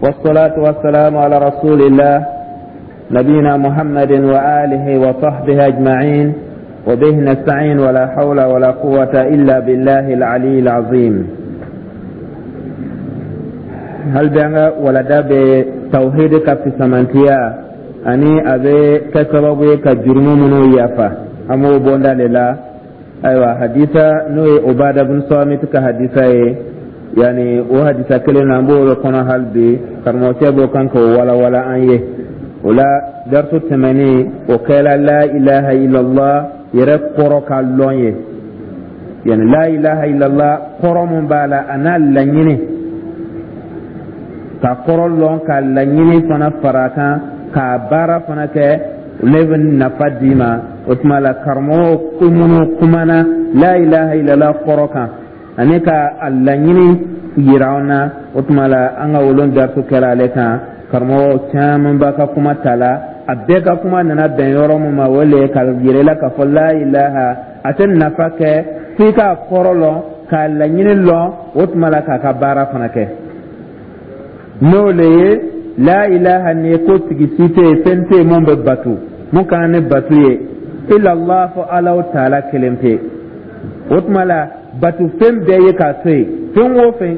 والصلاة والسلام على رسول الله نبينا محمد وآله وصحبه أجمعين، وبه نستعين، ولا حول ولا قوة إلا بالله العلي العظيم. Hali bi an ka walada bɛ tawhid ka fisamantiya ani a bɛ kɛ sababu ye ka jurumu minnu yafa, an b'o bonda de la. Ayiwa, hadisa n'o ye Obada bin Samit ka hadisa ye, yani o hadisa kelen na, an b'o de kɔnɔ hali bi. Karamɔgɔcɛ b'o kan k'o walawala an ye. O la, darisu tɛmɛnen, o kɛra la ilaha illallah yɛrɛ kɔrɔ ka lɔn ye, yani la ilaha illallah kɔrɔ mun b'a la, a n'a laɲini, ka kɔrɔ lɔn, ka laɲini fana fara a kan, k'a baara fana kɛ, ne bɛ nafa d'i ma. O tuma la, karamɔgɔw ko minnu kumana la ilaha illallah kɔrɔ kan ani ka a laɲini yira an na, o tuma la an ka wolon darisu kɛra ale kan. Karamɔgɔ caman b'a ka kuma ta la, a bɛɛ ka kuma nana bɛn yɔrɔ min ma, o le ye ka yira i la k'a fɔ la ilaha a tɛ nafa kɛ f'i k'a kɔrɔ lɔn, k'a laɲini lɔn, o tuma la k'a ka baara fana kɛ. N'o le ye la ilaha nin ye ko tigi si tɛ yen, fɛn tɛ yen mun bɛ batu, mun ka kan ni batu ye, illallah, fo Alaw taala kelen pe. O tuma la, batu fɛn bɛɛ ye k'a to yen. Fɛn o fɛn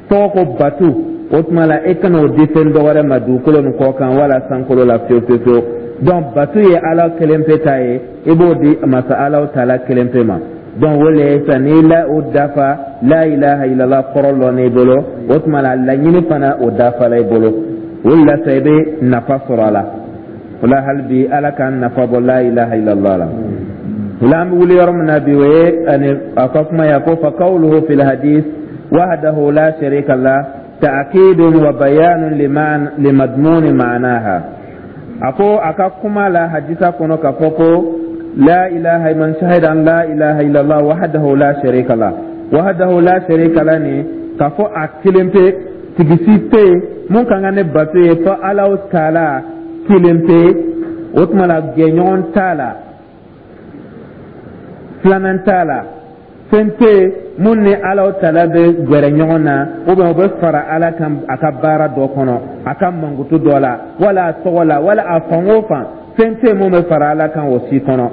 tɔgɔ ko batu, o tuma la e kana o di fɛn dɔ wɛrɛ ma dugukolo nin kɔ kan wala sankolo la fewu fewu fewu. Donc batu ye Ala kelen pe ta ye, i b'o di masa Alaw taala kelen pe ma. Donc o le ye sisan n'i la o dafa, la ilaha illallah kɔrɔ lɔn i bolo, o tuma la laɲini fana o dafala i bolo. O de la sa i bɛ nafa sɔrɔ a la. O la, hali bi Ala k'an nafa bɔ la ilaha illallah la. O la, an bɛ wuli yɔrɔ min na bi, o ye ani a ka kuma ye, a ko: fa qawluhu fil hadith wahdahu la sharika lah ta'kidun wa bayanun limadmuni ma'naha. A ko a ka kuma la hadisa kɔnɔ k'a fɔ ko la ilaha, man shahida an la ilaha illallah wahdahu la sharika lah, wahdahu la sharika lah nin, k'a fɔ a kelen pe, tigi si tɛ yen mun ka kan ni bato ye fo Alaw taala kelen pe. O tuma la, jɛɲɔgɔn t'a la, filanan t'a la, fɛn tɛ yen mun ni Alaw taala bɛ gɛrɛ ɲɔgɔn na ou bien o bɛ fara Ala kan a ka baara dɔ kɔnɔ, a ka mankutu dɔ la, wala a tɔgɔ la, wala a fan o fan, fɛn tɛ yen mun bɛ fara Ala kan o si kɔnɔ.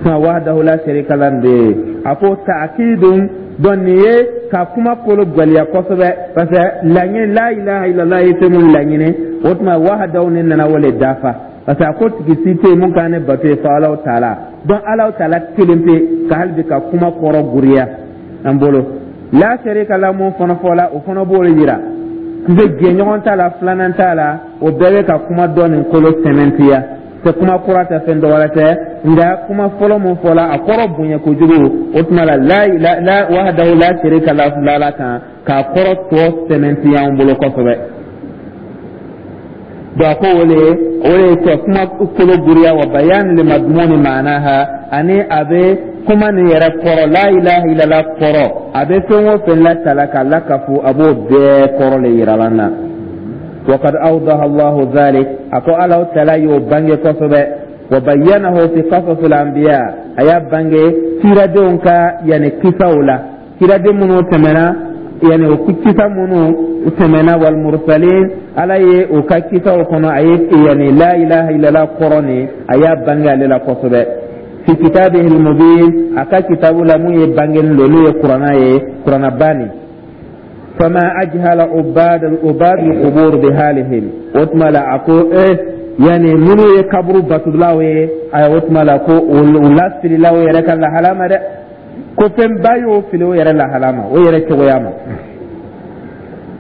Suma wahdahu la sharika la de ye, a ko ta'kidun. Donc nin ye ka kuma kolo gwɛlɛya kosɛbɛ, parce que laɲini la ilaha illallah ye fɛn mun laɲini, o tuma wahdahu nin nana o le dafa, parce que a ko tigi si tɛ yen mun kan ni bato ye fo Alaw taala. Donc Alaw taala kelen pe, ka hali bi ka kuma kɔrɔ guriya an bolo. La sharika la mun fana fɔla, o fana b'o yira que jɛɲɔgɔn t'a la, filanan t'a la. O bɛɛ bɛ ka kuma dɔ nin kolo sɛmɛntiya. Tɛ kuma kura tɛ, fɛn dɔ wɛrɛ tɛ, nka kuma fɔlɔ mun fɔla, a kɔrɔ bonya kojugu. O tuma la, la la wahdahu la sharika la la kan k'a kɔrɔ tɔ sɛmɛntiya an bolo kosɛbɛ. Donc a ko o le ye ka kuma kolo guriya, wa bayan li madmuni ma'naha, ani a bɛ kuma nin yɛrɛ kɔrɔ, la ilaha illallah kɔrɔ, a bɛ fɛn o fɛn latala k'a lakafu, a b'o bɛɛ kɔrɔ le yira an na. وقد أوضح الله ذلك, أكو الله تعالى y'o bange kosɛbɛ, وبينه في قصص الأنبياء, a y'a bange kiradenw ka yani kisaw la, kiraden minnu tɛmɛna, yani o kisa minnu tɛmɛna, والمرسلين, Ala ye o ka kisaw kɔnɔ, a ye yani la ilaha illallah kɔrɔ nin, a y'a bange ale la kosɛbɛ. في كتابه المبين, a ka kitabu la mun ye bangeni don, n'o ye Kuranna ye, Kuranna nin. فما أجهل عباد القبور بحالهم. O tuma la, a ko yani minnu ye kaburu batulaw ye, ayi, o tuma la ko u lafililaw yɛrɛ ka lahala ma dɛ, ko fɛnba y'o fili o yɛrɛ lahala ma, o yɛrɛ cogoya ma.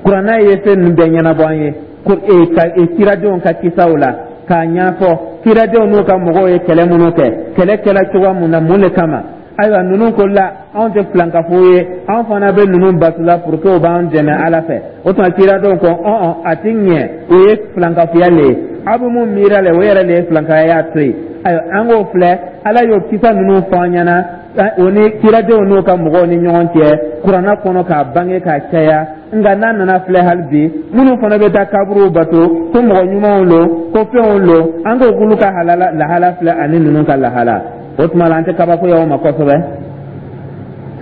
Kuranna ye fɛn ninnu bɛɛ ɲɛnabɔ an ye ko ka kiradenw ka kisaw la k'a ɲɛfɔ, kiradenw n'u ka mɔgɔw ye kɛlɛ minnu kɛ, kɛlɛ kɛla cogoya mun na, mun de kama. Ayiwa, ninnu ko la anw tɛ filankafo ye, anw fana bɛ ninnu batula pour que o b'an dɛmɛ Ala fɛ. O tuma kiradenw ko ɔn a ti ɲɛ, o ye filankafoya le ye, aw bɛ mun miiri la, o yɛrɛ le ye filankaya y'a to yen. Ayiwa, an k'o filɛ, Ala y'o kisa ninnu fɔ an ɲɛna, o ni kiradenw n'u ka mɔgɔw ni ɲɔgɔn cɛ, Kuranna kɔnɔ k'a bange k'a caya. Nka n'a nana filɛ hali bi, minnu fana bɛ taa kaburuw bato ko mɔgɔ ɲumanw lo, ko fɛnw lo, an k'o k'olu ka lahala filɛ ani ninnu ka lahala. O tuma la, an tɛ kabakoya o ma kosɛbɛ.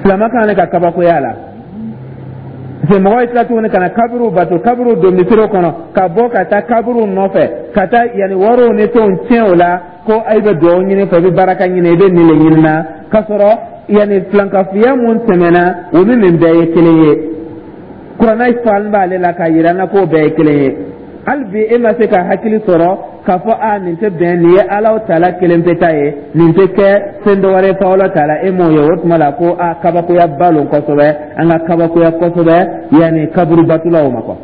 Silamɛ kan ne ka kabakoya la. Parce que mɔgɔw ye tila tuguni ka na kaburuw bato, kaburuw don misiriw kɔnɔ, ka bɔ ka taa kaburuw nɔfɛ, ka taa yanni wariw ni fɛnw tiɲɛ o la, ko i bɛ dugawu ɲini fɛ, i bɛ baraka ɲini, i bɛ nin de ɲini na, k'a sɔrɔ yanni filankafoya mun tɛmɛna, o ni nin bɛɛ ye kelen ye. Kuranɛ falen b'ale la k'a yira an na k'o bɛɛ ye kelen ye. Hali bi e ma se ka hakili sɔrɔ k'a fɔ a nin tɛ bɛn, nin ye Alahu taala kelen pe ta ye, nin tɛ kɛ fɛn dɔ wɛrɛ fɔ Alahu taala, e m'o ye. O tuma la ko a kabakoya ba lon kosɛbɛ, an ka kabakoya kosɛbɛ yanni kaburu batulaw ma quoi.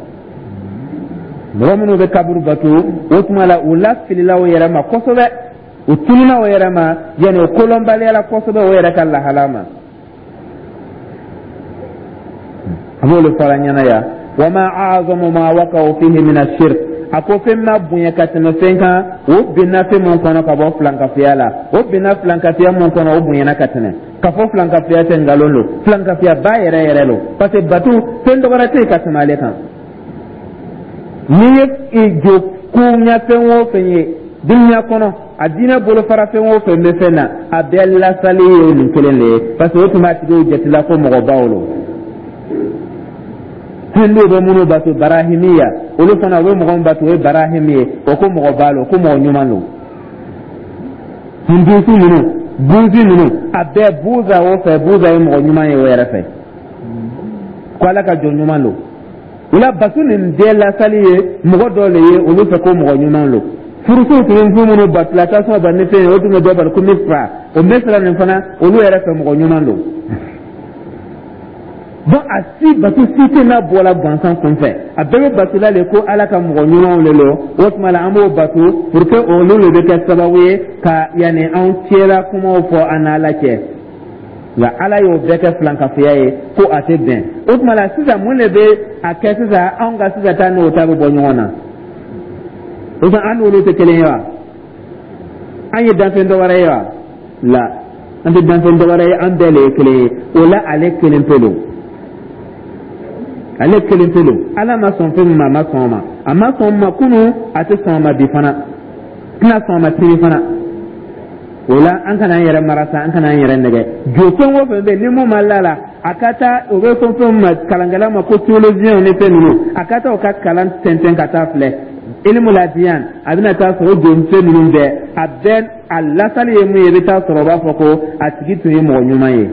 Mɔgɔ minnu bɛ kaburu batu, o tuma la u lafilila o yɛrɛ ma kosɛbɛ, u tununa o yɛrɛ ma, yanni o kolɔnbaliya la kosɛbɛ o yɛrɛ ka lahala ma. A b'olu fɔra ɲɛna yan. Wa ma a'zamu ma waqa'u fihi min ash-shirk, a ko fɛn ma bonya ka tɛmɛ fɛn kan, o binna fɛn mun kɔnɔ ka bɔ filankafoya la, o binna filankafoya mun kɔnɔ, o bonyana ka tɛmɛ. Ka fɔ filankafoya tɛ, nkalon don, filankafoya ba yɛrɛ yɛrɛ don, parce que batu fɛn dɔ wɛrɛ tɛ yen ka tɛmɛ ale kan. N'i ye jo koɲa fɛn o fɛn ye dunuya kɔnɔ, a diinɛ bolofara fɛn o fɛn bɛ fɛn na, a bɛɛ lasali ye nin kelen de ye, parce que o tun b'a tigiw jatila ko mɔgɔbaw lo. Hinduw bɛ minnu bato, barahimiya, olu fana u bɛ mɔgɔ min bato, o ye barahimi ye, o ko mɔgɔba lo, ko mɔgɔ ɲuman lo. Hindusu ninnu, buzi ninnu, a bɛɛ buza o fɛ, buza ye mɔgɔ ɲuman ye o yɛrɛ fɛ, ko Ala ka jɔn ɲuman lo. O la bato nin bɛɛ lasali ye mɔgɔ dɔ le ye olu fɛ ko mɔgɔ ɲuman lo. Furusiw tun bɛ fɛn minnu batula, tasuma ba ni fɛn ye, o tun bɛ dɔ bali ko Misira, o Misira nin fana, olu yɛrɛ fɛ mɔgɔ ɲuman don. Donc a si bato si tɛ n'a bɔla gansan kunfɛ, a bɛɛ bɛ batula le ko Ala ka mɔgɔ ɲumanw le lo. O tuma la an b'o bato pour que olu le bɛ kɛ sababu ye ka yanni anw cɛla kumaw fɔ an n'Ala cɛ. Nka Ala y'o bɛɛ kɛ filankafoya ye, ko a tɛ bɛn. O tuma la sisan, mun de bɛ a kɛ sisan anw ka sisan ta n'o ta bɛ bɔ ɲɔgɔn na? O tuma an n'olu tɛ kelen ye wa? An ye danfɛn dɔ wɛrɛ ye wa? La, an tɛ danfɛn dɔ wɛrɛ ye, an bɛɛ le ye kelen ye. O la ale kelen pe don, ale kelen pe don. Ala ma sɔn fɛn min ma, a ma sɔn o ma, a ma sɔn o ma kunun, a tɛ sɔn o ma bi fana, tɛna sɔn o ma sini fana. O la an kana an yɛrɛ mara sa, an kana an yɛrɛ nɛgɛ. Jo fɛn o fɛn bɛ yen ni mun ma la la, a ka taa o bɛ fɛn fɛn ma kalankɛla ma ko théologien ni fɛn ninnu, a ka taa o ka kalan tɛntɛn ka taa filɛ ilimu ladiyan, a bɛna taa sɔrɔ o jo fɛn ninnu bɛɛ, a bɛɛ a lasali ye mun ye, i bɛ taa sɔrɔ o b'a fɔ ko a tigi tun ye mɔgɔ ɲuman ye.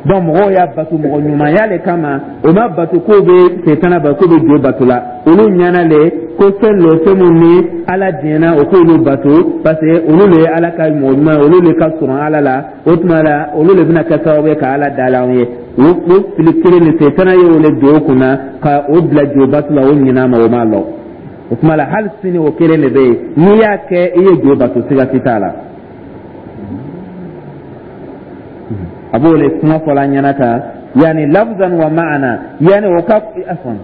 Donc mɔgɔw y'a bato mɔgɔ ɲumanya le kama, o ma bato k'o bɛ setana bato, k'o bɛ jo bato la. Olu ɲɛna le ko fɛn lo, fɛn mun ni Ala diɲɛna o k'olu bato, parce que olu le ye Ala ka mɔgɔ ɲuman ye, olu le ka surun Ala la. O tuma la olu le bɛna kɛ sababu ye ka Ala da la anw ye. O fili kelen de setana ye o le don o kunna ka o bila jo bato la, o ɲin'a ma, o m'a lɔn. O tuma la hali sini o kelen de bɛ yen, n'i y'a kɛ i ye jo bato, siga si t'a la. A b'o le kuma fɔla an ɲɛna tan, yani lafzan wa ma'ana, yani o ka afwan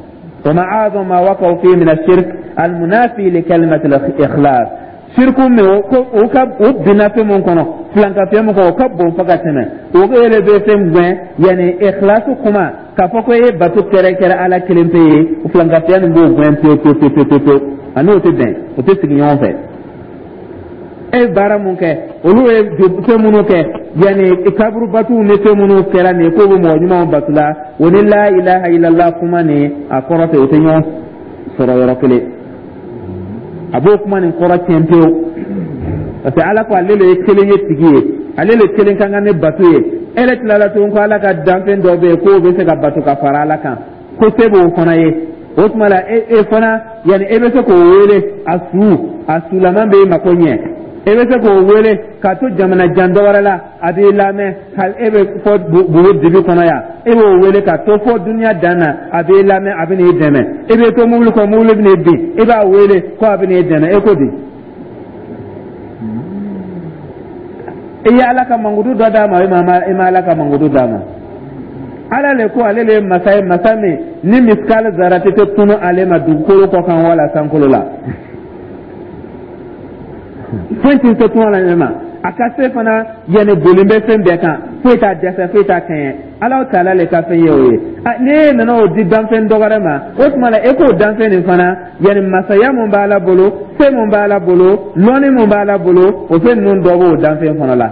wa ma a'zam ma waqa'u fi min ash-shirk al-munafi li kalimati al-ikhlas. Shirku min o ko o ka o binna fɛn mun kɔnɔ, filankafoya mun kɔnɔ, o ka bon fo ka tɛmɛ o yɛrɛ bɛ fɛn gɛn, yani ikhlasu kuma k'a fɔ ko e ye bato kɛrɛnkɛrɛn Ala kelen pe ye, o filankafoya nin b'o gɛn pewu pewu pewu pewu pewu. A n'o tɛ bɛn, o tɛ sigi ɲɔgɔn fɛ. E ye baara mun kɛ, olu ye fɛn minnu kɛ, yanni kaburu batuw ni fɛn minnu kɛra nin ye k'o bɛ mɔgɔ ɲumanw batu la, o ni la ilaha illallah kuma nin a kɔrɔ tɛ, o tɛ ɲɔgɔn sɔrɔ yɔrɔ kelen. A b'o kuma nin kɔrɔ tiɲɛ pewu, parce que Ala ko ale le ye kelen ye tigi ye, ale le kelen ka kan ni bato ye. E yɛrɛ tilala tuguni ko Ala ka danfɛn dɔ bɛ yen k'o bɛ se ka bato ka fara Ala kan, ko se b'o fana ye. O tuma la e e fana yanni e bɛ se k'o wele, a su a sulaman bɛ e mako ɲɛ, e bɛ se k'o wele k'a to jamana jan dɔ wɛrɛ la, a b'i lamɛn. Hali e bɛ fɔ bugu dibi kɔnɔ yan, e b'o wele ka to fɔ duniya dan na, a b'i lamɛn, a bɛ n'i dɛmɛ. E bɛ to mobili kɔnɔ, mobili bɛ n'i bin, e b'a wele ko a bɛ n'i dɛmɛ. E ko di? I ye Ala ka mankutu dɔ d'a ma, e ma Ala ka mankutu d'a ma. Ala le ko ale le ye masa ye, masa min ni misikali zarati tɛ tunu ale ma dugukolo kɔ kan wala sankolo la, foyi tɛ se tunu ale ma. A ka se fana yanni bolen bɛ fɛn bɛɛ kan, foyi t'a dɛsɛ, foyi t'a kɛɲɛ. Ala taala le ka fɛn ye o ye. Ni e nana o di danfɛn dɔ wɛrɛ ma, o tuma la e k'o danfɛn nin fana yanni masaya mun b'Ala bolo, se mun b'Ala bolo, lɔnni mun b'Ala bolo, o fɛn ninnu dɔ b'o danfɛn fana la.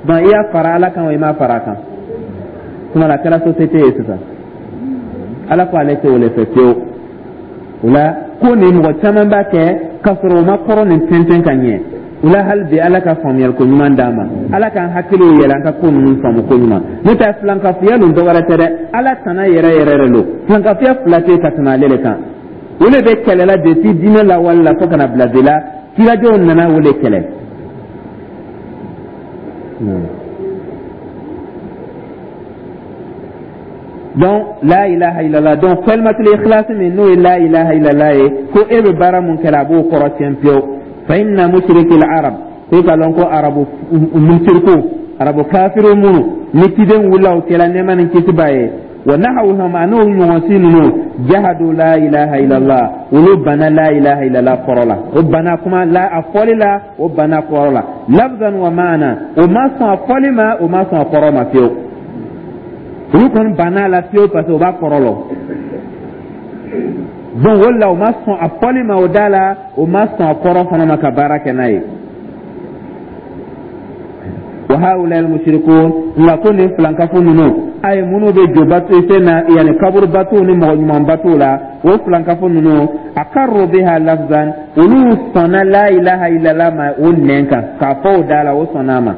Donc i y'a fara Ala kan o, i m'a fara a kan. Tuma la a kɛra société ye sisan. Ala ko ale tɛ o le fɛ fiyewu. O la ko nin, mɔgɔ caman b'a kɛ k'a sɔrɔ o ma kɔrɔ nin tɛntɛn ka ɲɛ. O la, hali bi, Ala ka faamuyali ko ɲuman d'an ma, Ala k'an hakiliw yɛlɛ, an ka ko ninnu faamu ko ɲuman. N'o tɛ, filankafoya nin dɔwɛrɛ tɛ dɛ, Ala tana yɛrɛ yɛrɛ de don. Filankafoya fila tɛ ka tɛmɛ ale de kan. O de bɛ kɛlɛ la depuis diinɛ lawale la fo ka na bila bi la. Kiradenw nana o de kɛlɛ. Donc la ilaha illallah, donc kalimatul ikhlas min n'o ye la ilaha illallah ye, ko e bɛ baara mun kɛra, a b'o kɔrɔ tiɲɛ pewu. Fa inna mushriki al-arab, ko ka lɔn ko arabu musiriku, arabu kafiru minnu ni ciden wulila o kɛla, nɛɛma ni kisi b'a ye, wa nahawhum, an'o ɲɔgɔnsi ninnu, jahadu la ilaha illallah, olu banna la ilaha illallah kɔrɔ la. O banna kuma la, a fɔli la, o banna kɔrɔ la, lafzan wa maana. O ma sɔn a fɔli ma, o ma sɔn a kɔrɔ ma fiyewu. Olu kɔni banna a la fiyewu, parce que o b'a kɔrɔ lɔn. Donc o la, o ma sɔn a fɔli ma o da la, o ma sɔn a kɔrɔ fana ma ka baara kɛ n'a ye. Wa haula al-mushrikun, nka ko nin filankafo ninnu, a ye minnu bɛ jo bato fɛn na, yanni kaburu batow ni mɔgɔ ɲuman batow la, o filankafo ninnu, akarru biha lafzan, olu sɔnna la ilaha illallah ma o nɛn kan k'a fɔ o da la, o sɔnna a ma.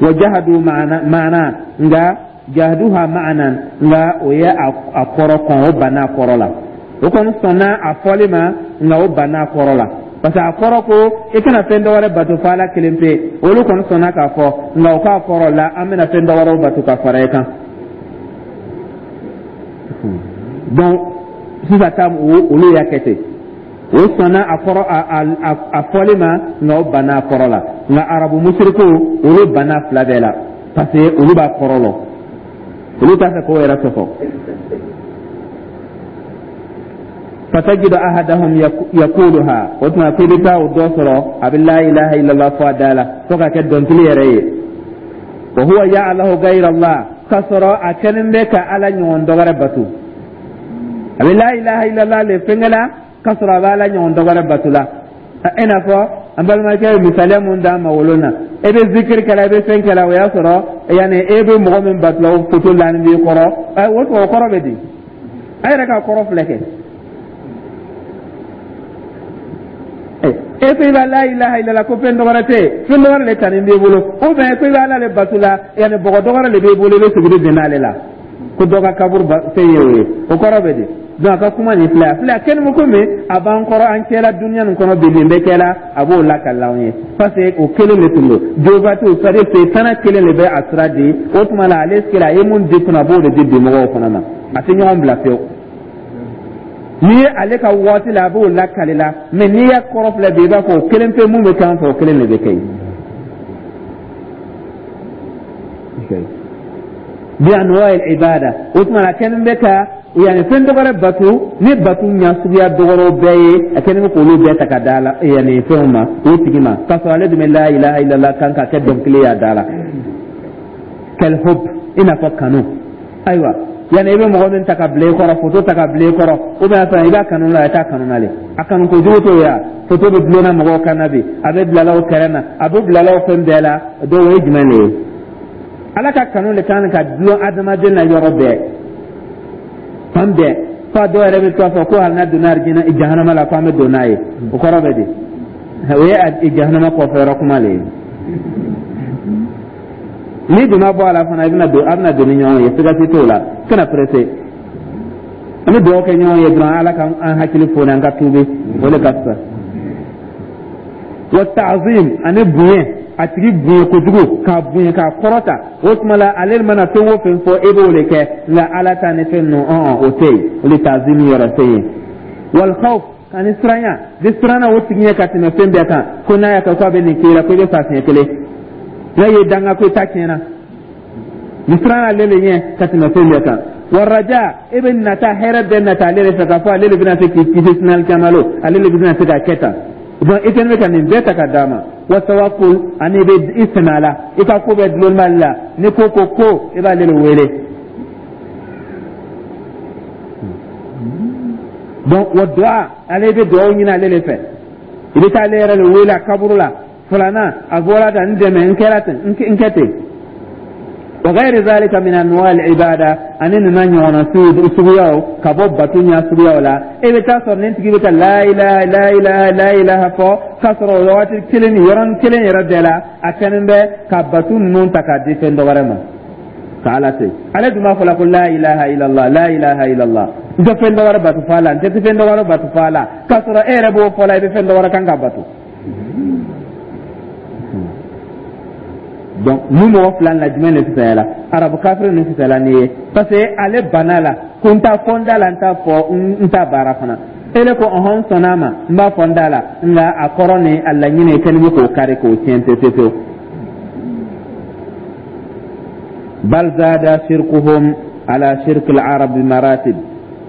Wa jahadu maana, nka jahaduha maana, nka o ye a kɔrɔ kɔn, o banna a kɔrɔ la. O kɔni sɔnna a fɔli ma, nka o banna a kɔrɔ la, parce que a kɔrɔ ko i kana fɛn dɔ wɛrɛ bato fo Ala kelen pe. Olu kɔni sɔnna k'a fɔ, nka o k'a kɔrɔ la an bɛna fɛn dɔ wɛrɛw bato ka fara e kan. Donc sisan ta, olu y'a kɛ ten, o sɔnna a kɔrɔ a fɔli ma, nka o banna a kɔrɔ la. Nka arabu musiriku, olu banna fila bɛɛ la, parce que olu b'a kɔrɔ lɔn, olu t'a fɛ k'o yɛrɛ sɔsɔ. Fatajidu ahadahum yakuluha, o tuma k'i bɛ taa o dɔ sɔrɔ, a bɛ la ilaha illallah fɔ a da la fo ka kɛ dɔnkili yɛrɛ ye. Wa huwa ya'lahu ghayra Allah, k'a sɔrɔ a kɛlen bɛ ka Ala ɲɔgɔn dɔ wɛrɛ bato. A bɛ la ilaha illallah le fɛnkɛ la, k'a sɔrɔ a bɛ Ala ɲɔgɔn dɔ wɛrɛ bato la. I n'a fɔ an balimakɛ ye misaliya mun d'an ma wolon na, e bɛ zikiri kɛla, e bɛ fɛn kɛla, o y'a sɔrɔ yanni e bɛ mɔgɔ min bato la, o foto lanin b'i kɔrɔ. O tuma, o kɔrɔ bɛ di? A yɛrɛ ka kɔrɔ filɛ kɛ. E ko i b'a la ilaha illallah, ko fɛn dɔ wɛrɛ tɛ yen, fɛn dɔ wɛrɛ le tanin b'i bolo, ou bien ko i bɛ Ala le bato la, yanni bɔgɔ dɔ wɛrɛ le b'i bolo, i bɛ suguri bin n'ale la, ko dɔ ka kaburu fɛn ye o ye, o kɔrɔ bɛ di? Donc a ka kuma nin filɛ, a filɛ, a kɛlen bɛ komi a b'an kɔrɔ an cɛla dunuya nin kɔnɔ bi, nin bɛ kɛla, a b'o lakali anw ye, parce que o kelen de tun don jobatiw, c'est à dire setana kelen de bɛ a sira di. O tuma la, ale kelen a ye mun di kunna, a b'o de di bi mɔgɔw fana ma. A tɛ ɲɔgɔn bila fiyewu. N'i ye ale ka waati la, a b'o lakali la, mais n'i y'a kɔrɔ filɛ bi, i b'a fɔ o kelen pe mun bɛ kɛ an fɛ, o kelen de bɛ kɛ yen. Bi anwa ibada, o tuma a kɛlen bɛ ka yanni fɛn dɔ wɛrɛ bato ni bato ɲa suguya dɔ wɛrɛw bɛɛ ye, a kɛlen bɛ k'olu bɛɛ ta ka da la yanni fɛnw ma, o tigi ma, k'a sɔrɔ ale dun bɛ la ilaha illallah kan ka kɛ dɔnkili y'a da la. Kal hub, i n'a fɔ kanu. Ayiwa, yanni i bɛ mɔgɔ min ta ka bila i kɔrɔ, foto ta ka bila i kɔrɔ, ou bien fɛn i b'a kanu la, i t'a kanu na le, a kanu kojugu t'o ye. Foto bɛ dulonna mɔgɔw kan na bi, a bɛ bilala o kɛrɛ na, a bɛ bilala o fɛn bɛɛ la. Dɔw o ye jumɛn de ye? Ala ka kanu de kan ka dulon adamaden na yɔrɔ bɛɛ, fan bɛɛ, f'a dɔw yɛrɛ bɛ to a fɔ ko hali n'a donna arijinɛ jahanama la, ko an bɛ don n'a ye. O kɔrɔ bɛ di? O ye jahanama kɔfɛ yɔrɔ kuma le ye. N'i dun ma bɔ a la fana, i bɛna don, a bɛna don ni ɲɔgɔn ye, siga si t'o la. Kana pressé, an bɛ dugawu kɛ ɲɔgɔn ye dɔrɔn, Ala ka an hakili foni, an ka tuubi, o de ka fisa. Wa ta'zim, ani bonya, a tigi bonya kojugu, k'a bonya, k'a kɔrɔta. O tuma la, ale mana fɛn o fɛn fɔ, e b'o de kɛ, nka Ala ta ni fɛn ninnu, ɔn, o tɛ yen, o de ta'zim yɔrɔ tɛ yen. Wal khawf, ani siranya bi siranna o tigi ɲɛ ka tɛmɛ fɛn bɛɛ kan, ko n'a y'a kɛ ko a bɛ nin k'i la, ko i bɛ fa siɲɛ kelen, n'a ye danga ko i ta tiɲɛna, ni siranna ale de ɲɛ ka tɛmɛ fɛn bɛɛ kan. Wa raja, e bɛ nata hɛrɛ bɛɛ nata ale de fɛ, k'a fɔ ale de bɛna se k'i kisi sini alikiyama lon, ale de bɛna se ka kɛ tan. Donc i kɛlen bɛ ka nin bɛɛ ta ka d'a ma. Wa tawakkul, ani i bɛ i sɛmɛ a la, i ka ko bɛɛ dulon b'ale la, ni ko ko ko, i b'ale de wele. Donc wa du'a, ale bɛ dugawu ɲini ale de fɛ, i bɛ taa ale yɛrɛ de wele a kaburu la, filanan a bɔra tan, n dɛmɛ, n kɛra ten, n kɛ ten. Wa ghayri zalika min anwa al-ibada, ani nana ɲɔgɔnna suguyaw ka bɔ bato ɲa suguyaw la. E bɛ taa sɔrɔ nin tigi bɛ ka la ilaha, la ilaha, la ilaha fɔ, k'a sɔrɔ o waati kelen ni yɔrɔnin kelen yɛrɛ bɛɛ la, a kɛlen bɛ ka bato ninnu ta k'a di fɛn dɔ wɛrɛ ma ka Ala to yen. Ale dun b'a fɔ la ko la ilaha illallah, la ilaha illallah, n tɛ fɛn dɔ wɛrɛ bato fo Ala, n tɛ fɛn dɔ wɛrɛ bato fo Ala, k'a sɔrɔ e yɛrɛ b'o fɔ la, i bɛ fɛn dɔ wɛrɛ kan ka bato. Donc ni mɔgɔ fila la, jumɛn de fisayala? Arabu kafiri ninnu fisayala n'i ye, parce que ale banna la ko n t'a fɔ n da la, n t'a fɔ n t'a baara fana. Ele ko ɔhɔn, n sɔnna a ma, n b'a fɔ n da la, nka a kɔrɔ ni a laɲini kɛlen bɛ k'o kari k'o tiɲɛ pewu pewu pewu. Bal zada shirkuhum ala shirki al-arab maratib.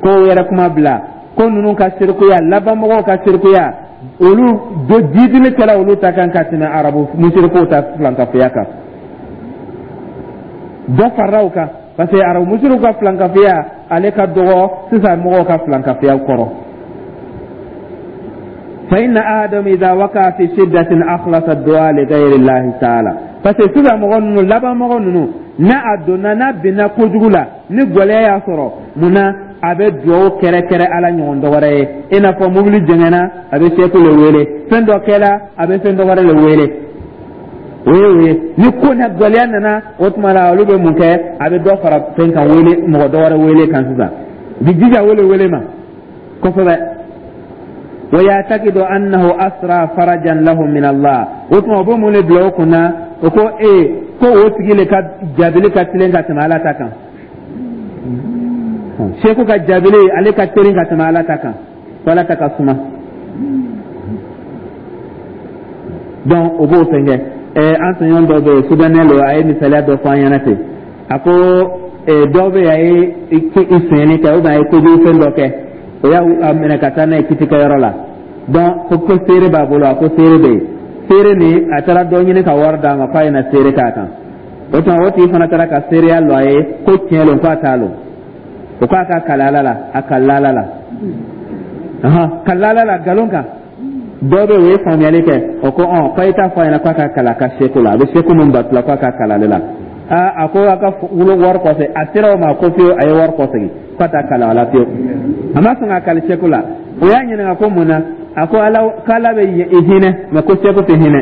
Ko yɛrɛ kuma bila ko ninnu ka sirikuya, labanmɔgɔw ka sirikuya, olu do jidili kɛla olu ta kan ka tɛmɛ arabu musirikuw ta filankafoya kan. Dɔ farala u kan, parce que arabu musirikuw ka filankafoya, ale ka dɔgɔ sisan mɔgɔw ka filankafoya kɔrɔ. Fa inna ahadahum idha waqa'a fi shiddatin akhlasa du'a li ghayri llahi ta'ala. Parce que sisan mɔgɔ ninnu, laban mɔgɔ ninnu, n'a a donna, n'a binna kojugu la, ni gɛlɛya y'a sɔrɔ, mun na a bɛ dugawu kɛrɛkɛrɛ Ala ɲɔgɔn dɔ wɛrɛ ye? I n'a fɔ mobili jɛngɛnna, a bɛ seku le wele. Fɛn dɔ kɛla, a bɛ fɛn dɔ wɛrɛ le wele. O ye ni ko na gɛlɛya nana, o tuma la olu bɛ mun kɛ? A bɛ dɔ fara fɛn kan, wele mɔgɔ dɔ wɛrɛ wele kan sisan, u bɛ jija wele wele ma kosɛbɛ. Wa ya'taqidu annahu asra farajan lahum min Allah. O tuma o bɛ mun de bila o kun na? O ko ee, ko o tigi le ka jaabili ka tilen ka tɛmɛ Ala ta kan. Seku ka jaabili, ale ka teli ka tɛmɛ Ala ta kan, ko Ala ta ka suma. Donc o b'o fɛn kɛ. An tɔɲɔgɔn dɔ bɛ yen, soudanais lo, a ye misaliya dɔ fɔ an ɲɛna ten. A ko dɔ bɛ yen, a ye i sonyɛni kɛ ou bien a ye kojugu fɛn dɔ kɛ, o y'a minɛ ka taa n'a ye kitikɛyɔrɔ la. Donc ko seere b'a bolo, a ko seere bɛ yen. Seere nin, a taara dɔ ɲini ka wari d'a ma k'a ye na seere k'a kan. O tuma o tigi fana taara ka seereya lɔ a ye ko tiɲɛ lo, k'a t'a lɔ. O k'a ka kali Ala la, a kalila Ala la, kalila Ala la nkalon kan. Dɔ bɛ yen, o ye faamuyali kɛ, o ko ɔn, k'a ye taa fɔ a ɲɛna k'a ka kali a ka seku la, a bɛ seku min bato la, k'a ka kali ale la. Aa, a ko a ka wolo wari kɔsegin. A sera o ma ko fiyewu, a ye wari kɔsegin k'a t'a kali a la fiyewu. A ma sɔn ka kali seku la. O y'a ɲininka ko mun na? A ko Ala, k'Ala bɛ i hinɛ, mɛ ko seku tɛ hinɛ.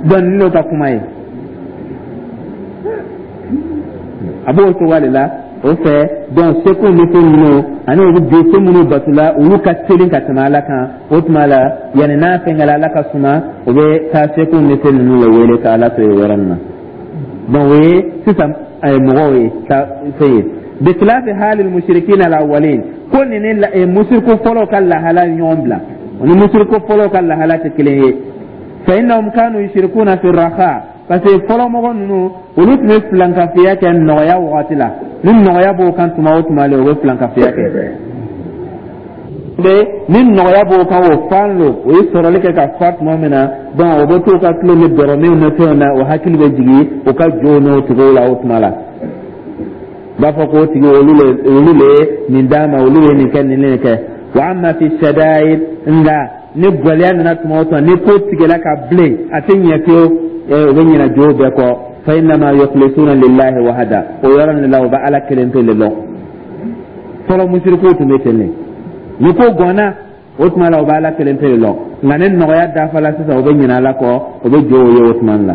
Donc n'o ka kuma ye, a b'o cogoya de la o fɛ. Donc seku ni fɛn minnu ani olu bɛ fɛn minnu bato la, olu ka teli ka tɛmɛ Ala kan. O tuma la, yanni n'a fɛnkɛla Ala ka suma, o bɛ taa seku ni fɛn ninnu le wele ka Ala to yen yɔrɔ min na. Donc o ye sisan mɔgɔw ye ka fɛn ye. Bikilafi halil mushrikina alawalin, ko nin ni musiriku fɔlɔw ka lahala ɲɔgɔn bila, o ni musiriku fɔlɔw ka lahala tɛ kelen ye. Fa innahum kanu yushrikuna fi raha, parce que fɔlɔ mɔgɔ ninnu, olu tun bɛ filankafiya kɛ nɔgɔya wagati la. Ni nɔgɔya b'o kan tuma o tuma le, o bɛ filankafiya kɛ. Ni nɔgɔya b'o kan, o fan lo, o ye sɔrɔli kɛ ka fa tuma min na, donc o bɛ t'u ka tulo ni dɔrɔminw ni fɛnw na, o hakili bɛ jigin o ka jow n'o tigiw la. O tuma la, u b'a fɔ k'o tigi, olu le ye nin d'a ma, olu ye nin kɛ, nin nin kɛ. Wa amma fi shadaid, nka ni gɛlɛya nana tuma o tuma, ni ko tigɛla ka bilen, a tɛ ɲɛ fiyewu, o bɛ ɲinɛ jow bɛɛ kɔ. Fa innama yukhlisuna lillahi wahda, o yɔrɔ nin la, o bɛ Ala kelen pe le lɔn. Fɔlɔ musirikuw tun bɛ ten de. Ni ko gɔnna, o tuma la, o bɛ Ala kelen pe le lɔn. Nka ni nɔgɔya dafala sisan, o bɛ ɲinɛ Ala kɔ, o bɛ jow ye o tuma la.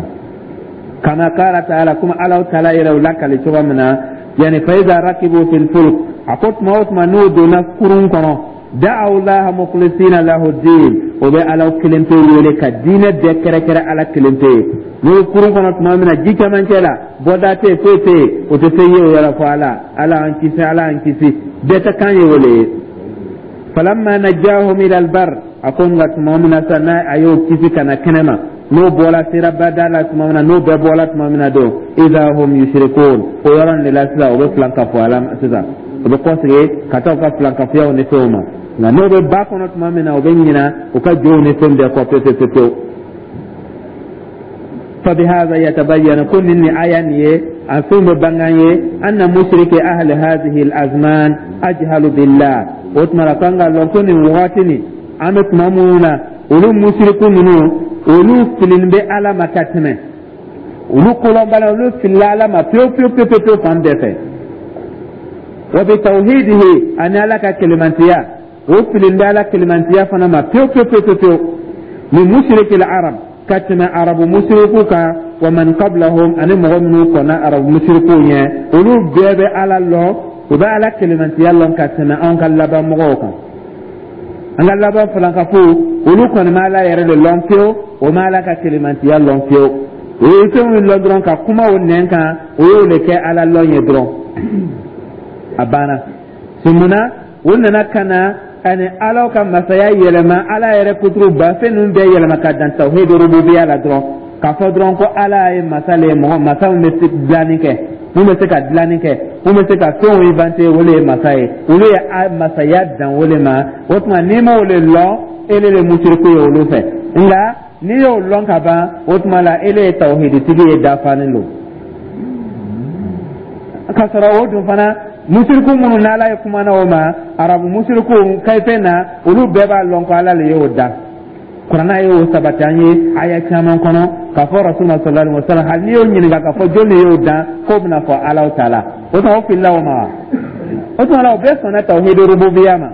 Kama qala ta'ala, kuma Ala taala yɛrɛ o lakali cogo min na, yani fa iza rakibu fil fulk, a ko tuma o tuma n'o donna kurun kɔnɔ, da'aw laha mukhlisina lahu din, o bɛ Ala kelen pe wele ka diinɛ bɛɛ kɛrɛkɛrɛ Ala kelen pe ye. N'o ye kurun kɔnɔ tuma min na, ji camancɛ la, bɔda tɛ yen, foyi tɛ yen, o tɛ fɛn ye o yɔrɔ fo Ala. Ala an kisi, Ala an kisi, bɛɛ ka kan ye o le ye. Falamma najjahum ila albar, a ko nka tuma min na sa, n'a a y'o kisi ka na kɛnɛ ma, n'o bɔra sera bada la tuma min na, n'o bɛɛ bɔra tuma min na don, idha hum yushrikun, o yɔrɔ nin de la sisan, o bɛ filankafoya la sisan, o bɛ kɔsegin ka taa u ka filankafoyaw ni fɛnw ma. Nka n'o bɛ ba kɔnɔ tuma min na, o bɛ ɲina u ka jow ni fɛn bɛɛ kɔ pewu pewu pewu. Fabihadha yatabayyana, ko nin ni aya nin ye a fɛn bɛ bangan ye, anna mushriki ahli hadhihi al-azman ajhalu billah. O tuma la, kan ka lɔn ko nin wagati nin an bɛ tuma minnu na, olu musiriku ninnu Olu filinin bɛ Ala ma ka tɛmɛ olu kolɔnbala, olu filila Ala ma pewu pewu pewu pewu fan bɛɛ fɛ. Wa bi tawhidihi, ani Ala ka kelemantiya, o filin bɛ Ala kelemantiya fana ma pewu pewu pewu pewu, min mushrikil arab, ka tɛmɛ Arabu musiriku kan, wa man qablahum, ani mɔgɔ minnu kɔnna Arabu musirikuw ɲɛ. Olu bɛɛ bɛ Ala lɔn, u bɛ Ala kelemantiya lɔn ka tɛmɛ anw ka laban mɔgɔw kan. An ka laban filankafow, olu kɔni ma Ala yɛrɛ de lɔn fiyewu, o ma Ala ka kelemantiya lɔn fiyewu. O ye fɛn min lɔn dɔrɔn, ka kuma o nɛn kan, o y'o de kɛ Ala lɔn ye dɔrɔn, a banna. Mun na o nana ka na ani Ala ka masaya yɛlɛma, Ala yɛrɛ kuturu ba fɛn ninnu bɛɛ yɛlɛma ka dan tawhid rububiya la dɔrɔn, k'a fɔ dɔrɔn ko Ala ye masa le ye, mɔgɔ masa min bɛ se dilanni kɛ, mun bɛ se ka dilanni kɛ, mun bɛ se ka fɛnw inventer, o le ye masa ye. Olu ye masaya dan o le ma. O tuma, n'i m'o le lɔn, ele le musiriku ye olu fɛ. Nka n'i y'o lɔn ka ban, o tuma la ele ye tawhiditigi ye, dafanen don. K'a sɔrɔ o dun fana, musiriku minnu n'Ala ye kumana o ma, Arabu musiriku kayifɛn na, olu bɛɛ b'a lɔn ko Ala le y'o da. Kuranna ye o sabati an ye aya caman kɔnɔ, k'a fɔ Rasulullah sallallahu alaihi wasallam, hali n'i y'o ɲininka k'a fɔ jɔn de y'o dan, k'o bɛna fɔ Ala taala. O tuma, o filila o ma wa? O tuma la, o bɛɛ sɔnna tawhid rububiya ma.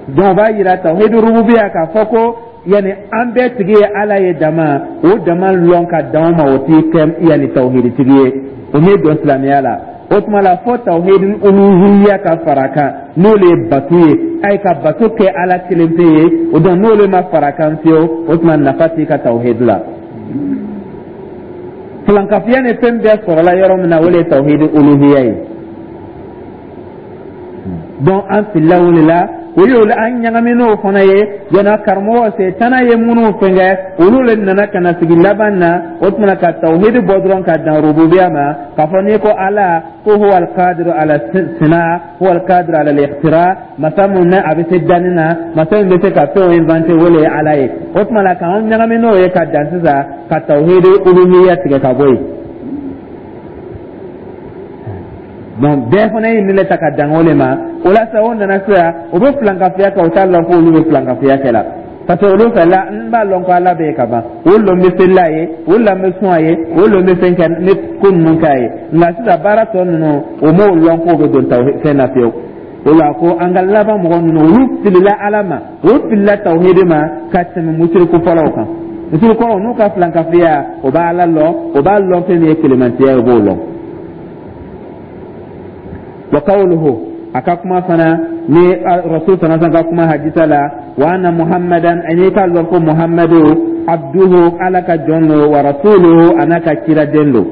Donc o b'a yira tawhid rububiya, k'a fɔ ko yani an bɛɛ tigi ye Ala ye dama, o dama lɔn ka dan o ma, o t'i kɛ yani tawhiditigi ye, o m'i don silamɛya la. O tuma la, fo tawhid uluhiyya ka fara a kan, n'o le ye bato ye, ayi ka bato kɛ Ala kelen pe ye. O donc, n'o le ma fara a kan fiyewu, o tuma nafa t'i ka tawhid la. Filankafiya ni fɛn bɛɛ sɔrɔla yɔrɔ min na, o le ye tawhid uluhiyya ye. Donc an filila o de la, o ye an ɲagamin'o fana ye. Jɔnna karamɔgɔ setana ye minnu fɛnkɛ, olu le nana ka na sigi laban na. O tuma ka tawhidi bɔ dɔrɔn ka dan rububiya ma, k'a fɔ n'i ko Ala ko huwa alqadiru ala sina, huwa alqadiru ala al-ikhtira, masa mun na a bɛ se danni na, masa min bɛ se ka fɛnw inventer, o le ye Ala ye. O tuma la, k'an ɲagami n'o ye ka dan sisan ka tawhidi uluhiyya tigɛ ka bɔ yen. Donc bɛɛ fana ye nin le ta ka dan o le ma. O la sa, o nana sisan, o bɛ filankafiya kɛ, o t'a lɔn ko olu bɛ filankafiya kɛ la, parce que olu fɛ la, n b'a lɔn ko Ala bɛ yen ka ban, o lɔn bɛ seli a ye, o lɔn bɛ sun a ye, o lɔn bɛ fɛn kɛ ne ko ninnu k'a ye. Nka sisan baara tɔ ninnu, o m'o lɔn k'o bɛ don tawhid fɛn na fiyewu. O la ko an ka laban mɔgɔ ninnu, olu filila Ala ma, olu filila tawhidi ma ka tɛmɛ musiriku fɔlɔw kan. Musiriku fɔlɔw n'u ka filankafiya, o b'a Ala lɔn, o b'a lɔn fɛn min ye kelemantiya ye, o b'o lɔn. Wa qawluhu, a ka kuma fana ni Rasul sallallahu ka kuma hadisa la, wa anna Muhammadan, ani k'a lɔn ko Muhammadu, abduhu, Ala ka jɔn don, wa rasuluhu, a n'a ka ciraden don.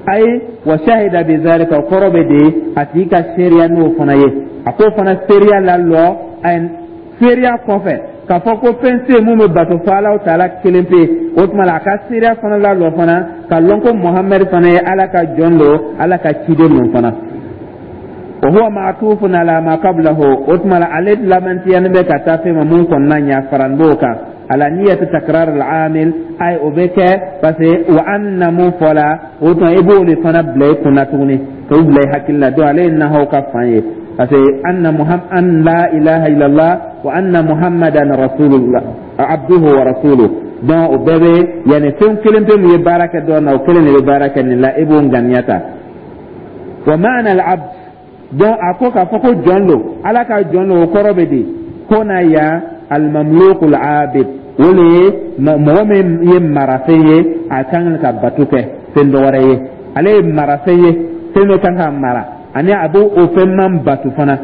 Ayi wa shahida bi zalika, o kɔrɔ bɛ di a tigi ka seereya n'o fana ye. A k'o fana seereya lalɔ, seereya kɔfɛ k'a fɔ ko fɛn tɛ yen mun bɛ bato fo Ala taala kelen pe, o tuma la a ka seereya fana lalɔ fana ka lɔn ko Muhamadu fana ye Ala ka jɔn don, Ala ka ciden don fana. Wa huwa ma'tufun ala ma qablahu, o tuma la ale lamantiyani bɛ ka taa fɛn ma mun kɔnɔna ɲa faran b'o kan, ala niyati takrar al-amil. Ay o bɛ kɛ parce que wa anna mun fɔla, o tuma i b'o de fana bila i kunna tuguni, k'o bila i hakili la. Donc ale ye nahaw ka fan ye, parce que anna Muhammad, an la ilaha illallah wa anna Muhammadan rasulullah, abduhu wa rasuluhu. Donc o bɛɛ bɛ yanni fɛn kelen pe min ye baara kɛ dɔ na, o kelen de bɛ baara kɛ nin la, e b'o ŋaniya ta. Wa ma'na al-abd, donc a ko k'a fɔ ko jɔn don, Ala ka jɔn don, o kɔrɔ bɛ di? Ko na yan al-mamluk al-abid, o le ye mɔgɔ min ye marafɛn ye, a kan ka bato kɛ fɛn dɔ wɛrɛ ye. Ale ye marafɛn ye, fɛn dɔ kan ka mara, ani a b'o o fɛn man bato fana.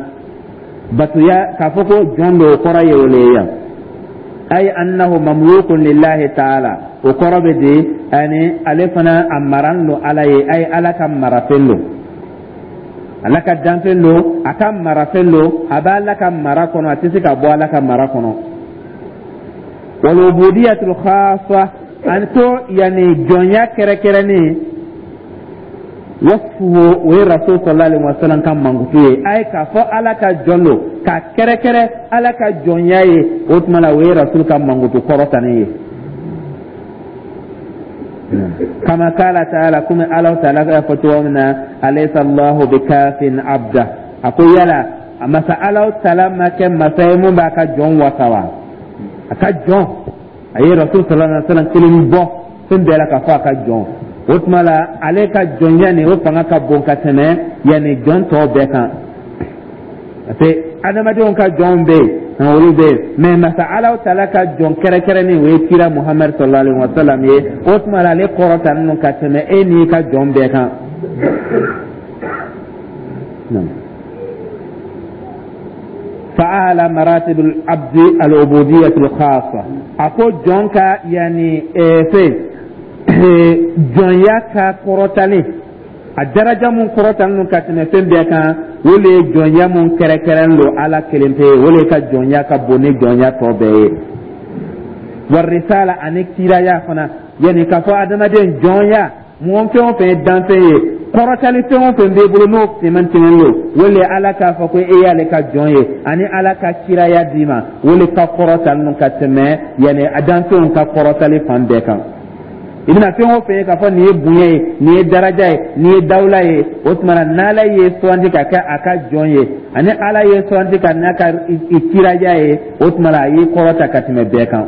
Batoya k'a fɔ ko jɔn don, o kɔrɔ ye o le ye yan. Ay annahu mamlukun lillahi ta'ala, o kɔrɔ bɛ di ani ale fana a maran don Ala ye, ay Ala ka marafɛn don, Ala ka danfɛn don, a ka marafɛn don, a bɛ Ala ka mara kɔnɔ, a tɛ se ka bɔ Ala ka mara kɔnɔ. Wal ubudiyatul khassa, ani ko yanni jɔnya kɛrɛkɛrɛnnen, wasfuhu, o ye Rasul sallallahu alaihi wasallam ka mankutu ye. A ye k'a fɔ Ala ka jɔn don, k'a kɛrɛkɛrɛ Ala ka jɔnya ye, o tuma la o ye Rasul ka mankutu kɔrɔtanen ye. Kama kala taala, komi Ala taala y'a fɔ cogo min na, alaysa Allahu bikafin abda, a ko yala a masa Ala taala ma kɛ masa ye mun b'a ka jɔn wasa wa? A ka jɔn A ye Rasul sallallahu alaihi wasallam kelen bɔ fɛn bɛɛ la k'a fɔ a ka jɔn. O tuma la, ale ka jɔnya nin, o fanga ka bon ka tɛmɛ yanni jɔn tɔw bɛɛ kan, parce que adamadenw ka jɔnw bɛ yen, olu bɛ yen, mais masa Alahu taala ka jɔn kɛrɛnkɛrɛnnen, o ye kira Muhamadu sallallahu alaihi wa sallam ye. O tuma la, ale kɔrɔtalen don ka tɛmɛ e n'i ka jɔn bɛɛ kan. Fa'ala maratib al-abd al-ubudiyyah al-khassa, a ko jɔn ka yani fɛn jɔnya ka kɔrɔtalen, a daraja mun kɔrɔtalen don ka tɛmɛ fɛn bɛɛ kan, o le ye jɔnya mun kɛrɛnkɛrɛn don Ala kelen pe ye, o le ka jɔnya ka bon ni jɔnya tɔ bɛɛ ye. Warisala ani kiraya fana, yanni k'a fɔ adamaden jɔnya, mɔgɔ fɛn o fɛn ye danfɛn ye, kɔrɔtali fɛn o fɛn b'e bolo n'o tɛmɛn don, o le Ala k'a fɔ ko e y'ale ka jɔn ye ani Ala ka kiraya d'i ma, o le ka kɔrɔtalen don ka tɛmɛ yanni a danfɛnw ka kɔrɔtali fan bɛɛ kan. I bɛna fɛn o fɛn ye k'a fɔ nin ye bonya ye, nin ye daraja ye, nin ye dawula ye, o tuma na, n'Ala ye sugandi ka kɛ a ka jɔn ye ani Ala ye sugandi ka n'a ka kiraya ye, o tuma na, a y'i kɔrɔta ka tɛmɛ bɛɛ kan.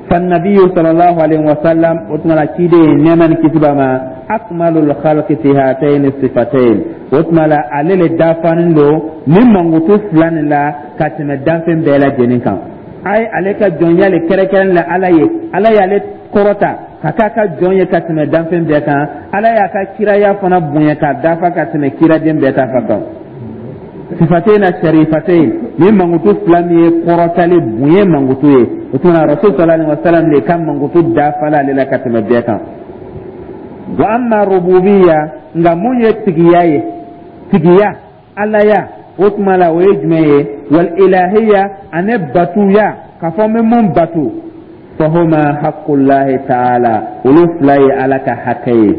Fannabiyu sallallahu alaihi wasallam, o tuma la, ciden, nɛɛma ni kisi b'a ma, akmalul khalqi fi hatayni sifatayn, o tuma la, ale le dafanen don nin mankutu fila nin la ka tɛmɛ danfɛn bɛɛ lajɛlen kan. A ye ale ka jɔnya le kɛrɛnkɛrɛn la Ala ye, Ala y'ale kɔrɔta ka k'a ka jɔn ye ka tɛmɛ danfɛn bɛɛ kan. Ala y'a ka kiraya fana bonya k'a dafa ka tɛmɛ kiraden bɛɛ ta fa kan. Sifatain sharifatain, ni mankutu fila min ye kɔrɔtali bonya mankutu ye, o tuma na, Rasul sallallahu alaihi wasallam de ka mankutu dafala ale la ka tɛmɛ bɛɛ kan. Wa amma rububiyya, nka mun ye tigiya ye, tigiya, Alaya, o tuma la, o ye jumɛn ye? Wal ilahiya ani batuya, k'a fɔ n bɛ mun batu, fahuma haqqullahi ta'ala, olu fila ye Ala ka hakɛ ye.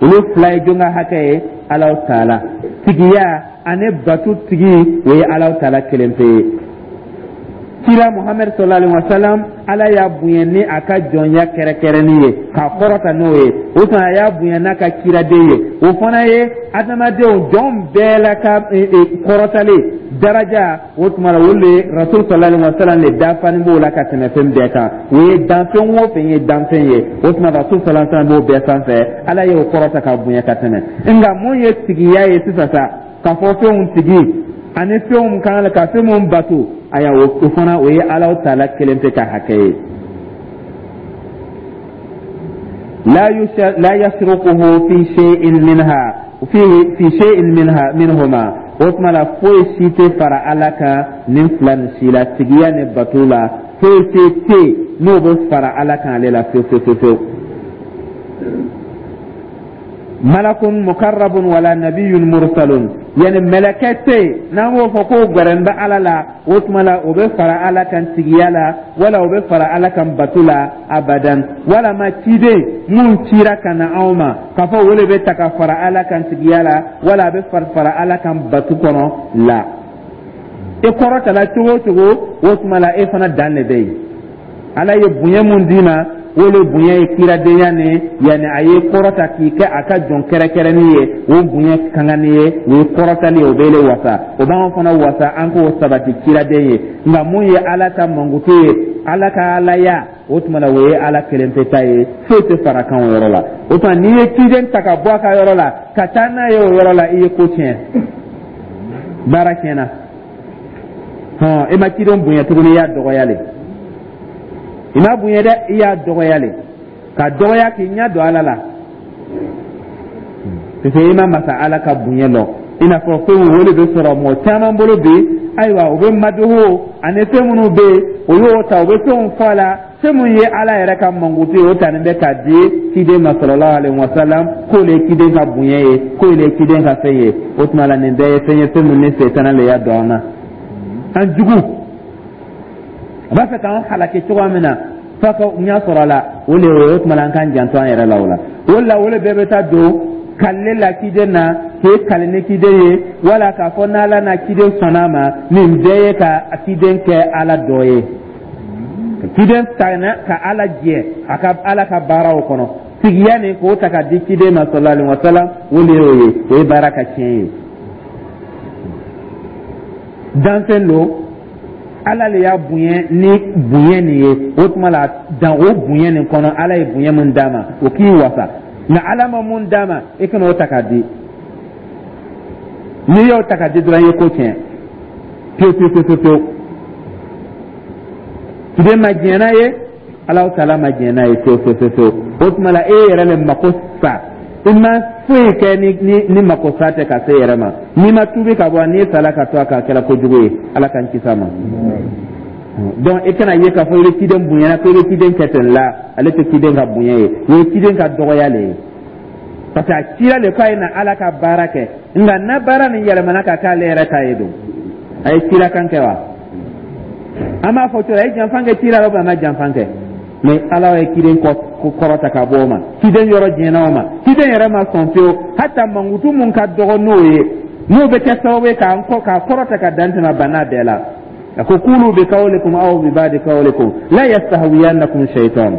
Olu fila ye jɔn ka hakɛ ye? Alahu taala. Tigiya ani batu tigi, o ye Alahu taala kelen pe ye. Kira Muhamadu sallallahu alaihi wa sallam, Ala y'a bonya ni a ka jɔnya kɛrɛnkɛrɛnnin ye k'a kɔrɔta n'o ye. O tuma, a y'a bonya n'a ka kiraden ye, o fana ye adamadenw jɔn bɛɛ la ka kɔrɔtalen daraja. O tuma la, o le Rasul sallallahu alaihi wa sallam le dafanin b'o la ka tɛmɛ fɛn bɛɛ kan. O ye danfɛn o fɛn ye danfɛn ye, o tuma, Rasul sallallahu alaihi wa sallam b'o bɛɛ sanfɛ. Ala y'o kɔrɔta ka bonya ka tɛmɛ. Nka mun ye tigiya ye sisan sa, k'a fɔ fɛnw tigi ani fɛnw kan ka fɛn mun bato, aya, o fana, o ye Alahu taala kelen pe ka hakɛ ye. La yashrukuhu fi shay'in minha fi shay'in minha minhuma, o tuma la, foyi si tɛ fara Ala kan nin fila nin si la, tigiya ni bato la, foyi si tɛ n'o bɛ fara Ala kan ale la fewu fewu fewu. Malakun mukarrabun wala nabiyyun mursalun, yani mɛlɛkɛ tɛ yen n'an b'o fɔ k'o gɛrɛn bɛ Ala la, o tuma la, o bɛ fara Ala kan tigiya la wala o bɛ fara Ala kan bato la, abadan. Walama ciden mun cira ka na anw ma, k'a fɔ o de bɛ ta ka fara Ala kan tigiya la wala a bɛ fara Ala kan batu kɔnɔ la. E kɔrɔtala cogo o cogo, o tuma la, e fana dan de bɛ yen. Ala ye bonya mun d'i ma, o le bonya ye kiradenya ni yanni a ye kɔrɔta k'i kɛ a ka jɔn kɛrɛnkɛrɛnnin ye, o bonya kankanni ye, o ye kɔrɔtali ye, o b'ele wasa, o b'anw fana wasa an k'o sabati kiraden ye. Nka mun ye Ala ka mankutu ye, Ala ka Alaya, o tuma na, o ye Ala kelen pe ta ye, foyi tɛ fara kan o yɔrɔ la. O tuma, n'i ye ciden ta ka bɔ a ka yɔrɔ la ka taa n'a ye o yɔrɔ la, i ye ko tiɲɛ, baara tiɲɛna. Hɔn, e ma ciden bonya tuguni, i y'a dɔgɔya le. I m'a bonya dɛ, i y'a dɔgɔya le, ka dɔgɔya k'i ɲɛ don Ala la, parce que i ma masa Ala ka bonya lɔn. I n'a fɔ fɛn o de bɛ sɔrɔ mɔgɔ caman bolo bi, ayiwa, u bɛ madoho ani fɛn minnu bɛ yen, o y'o ta, u bɛ fɛnw fɔ a la, fɛn min ye Ala yɛrɛ ka mankutu ye, o tanin bɛ k'a di ciden ma sallallahu alaihi wa sallam, k'o le ye ciden ka bonya ye, k'o le ye ciden ka fɛn ye. O tuma la, nin bɛɛ ye fɛn ye, fɛn min ni setana le y'a don an na. An jugu a b'a fɛ k'an halaki cogoya min na f'a ka ɲɛ sɔrɔ a la, o le ye. O tuma la, an k'an janto an yɛrɛ la o la. O la, o le bɛɛ bɛ taa don kalile la ciden na, k'e kali ni ciden ye, wala k'a fɔ n'Ala n'a ciden sɔnna a ma. Nin bɛɛ ye ka ciden kɛ Ala dɔ ye, ciden ta ka Ala jɛ a ka Ala ka baaraw kɔnɔ. Tigiya nin k'o ta ka di ciden ma sallallahu alaihi wa sallam, o de y'o ye, o ye baara ka tiɲɛ ye. Danfɛn lo, Ala le y'a bonya ni bonya nin ye. O tuma la, dan o bonya nin kɔnɔ, Ala ye bonya mun d'a ma, o k'i wasa. Nka Ala ma mun d'a ma, i kana o ta k'a di. N'i y'o ta k'a di dɔrɔn, i ye ko tiɲɛ pewu pewu pewu pewu. Ciden ma diɲɛ n'a ye, Alahu taala ma diɲɛ n'a ye pewu pewu pewu. O tuma la, e yɛrɛ le mako sa. I ma foyi kɛ ni mako sa tɛ ka se yɛrɛ ma. N'i ma tuubi ka bɔ, n'i sala ka to a kan, a kɛra kojugu ye. Ala k'an kisi a ma. Donc i kana ye k'a fɔ i bɛ ciden bonyana, ko i bɛ ciden kɛ ten la. Ale tɛ ciden ka bonya ye, o ye ciden ka dɔgɔya le ye, parce que a cira le k'a ye na Ala ka baara kɛ. Nka na baara nin yɛlɛmana ka k'ale yɛrɛ ta ye don, a ye cira kan kɛ wa? An b'a fɔ cogo di? A ye janfan kɛ cira la, a ma janfan kɛ? Mais Ala ye ciden kɔrɔta ka bɔ o ma, ciden yɔrɔ jɛnna o ma, ciden yɛrɛ ma sɔn fiyewu. Hata mankutu mun ka dɔgɔ n'o ye, n'o bɛ kɛ sababu ye k'an kɔ k'a kɔrɔta ka dan tɛmɛ bana bɛɛ la, a ko: kulu bi kawlikum aw bi ba'di kawlikum la yastahwiyannakum shaytan.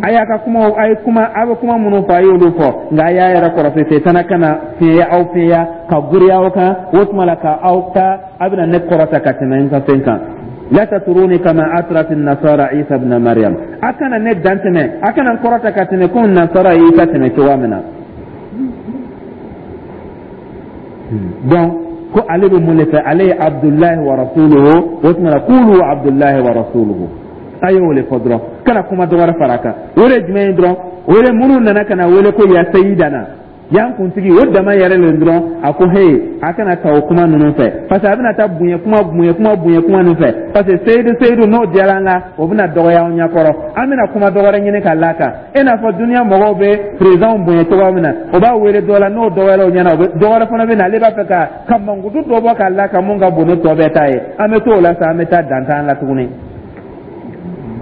A y'a ka kuma, a ye kuma, a bɛ kuma minnu fɔ, a y'olu fɔ, nka a y'a yɛrɛ kɔrɔsi, setana kana fiɲɛya aw, fiɲɛya ka giriya aw kan. O tuma la, ka aw ta, a bɛna ne kɔrɔta ka tɛmɛ n ka fɛn kan. La tatruni kama atrat nasara Isa ibn Maryam. A kana ne dan tɛmɛ, a kana n kɔrɔta ka tɛmɛ komi nasara ye Isa tɛmɛ cogoya min na. Donc ko ale bɛ mun de fɛ? Ale ye Abdullahi wa rasuluhu. O tuma na, kulu Abdullahi wa rasuluhu, a ye o de fɔ dɔrɔn, kana kuma dɔ wɛrɛ fara a kan. O de ye jumɛn ye dɔrɔn? O de minnu nana ka na wele ko ya sayidana, y'an kuntigi, o dama yɛrɛ le dɔrɔn. A ko he, a kana ta o kuma ninnu fɛ, parce que a bɛna taa bonya kuma, bonya kuma, bonya kuma ninnu fɛ, parce que seyidu seyidu n'o diyara an la, o bɛna dɔgɔya an ɲɛkɔrɔ. An bɛna kuma dɔ wɛrɛ ɲini ka l'a kan, i n'a fɔ duniya mɔgɔw bɛ présidentw bonya cogoya min na, o b'a wele dɔ la, n'o dɔgɔyara o ɲɛna, o bɛ dɔ wɛrɛ fana bɛ na, ale b'a fɛ ka mankutu dɔ bɔ k'a l'a kan mun ka bon ni tɔ bɛɛ ta ye. An bɛ t'o la sa, an bɛ taa dan t'an la tuguni.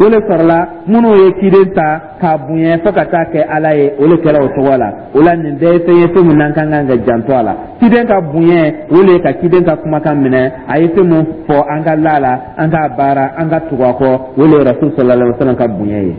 O le sɔrɔla minnu ye ciden ta k'a bonya fo ka taa kɛ Ala ye, o le kɛra o cogo la. O la, nin bɛɛ ye fɛn ye, fɛn min n'an ka kan ka janto a la. Ciden ka bonya, o le ye ka ciden ka kumakan minɛ. A ye fɛn mun fɔ, an ka la a la, an k'a baara, an ka tugu a kɔ. O le ye Rasul sallallahu alaihi wa sallam ka bonya ye.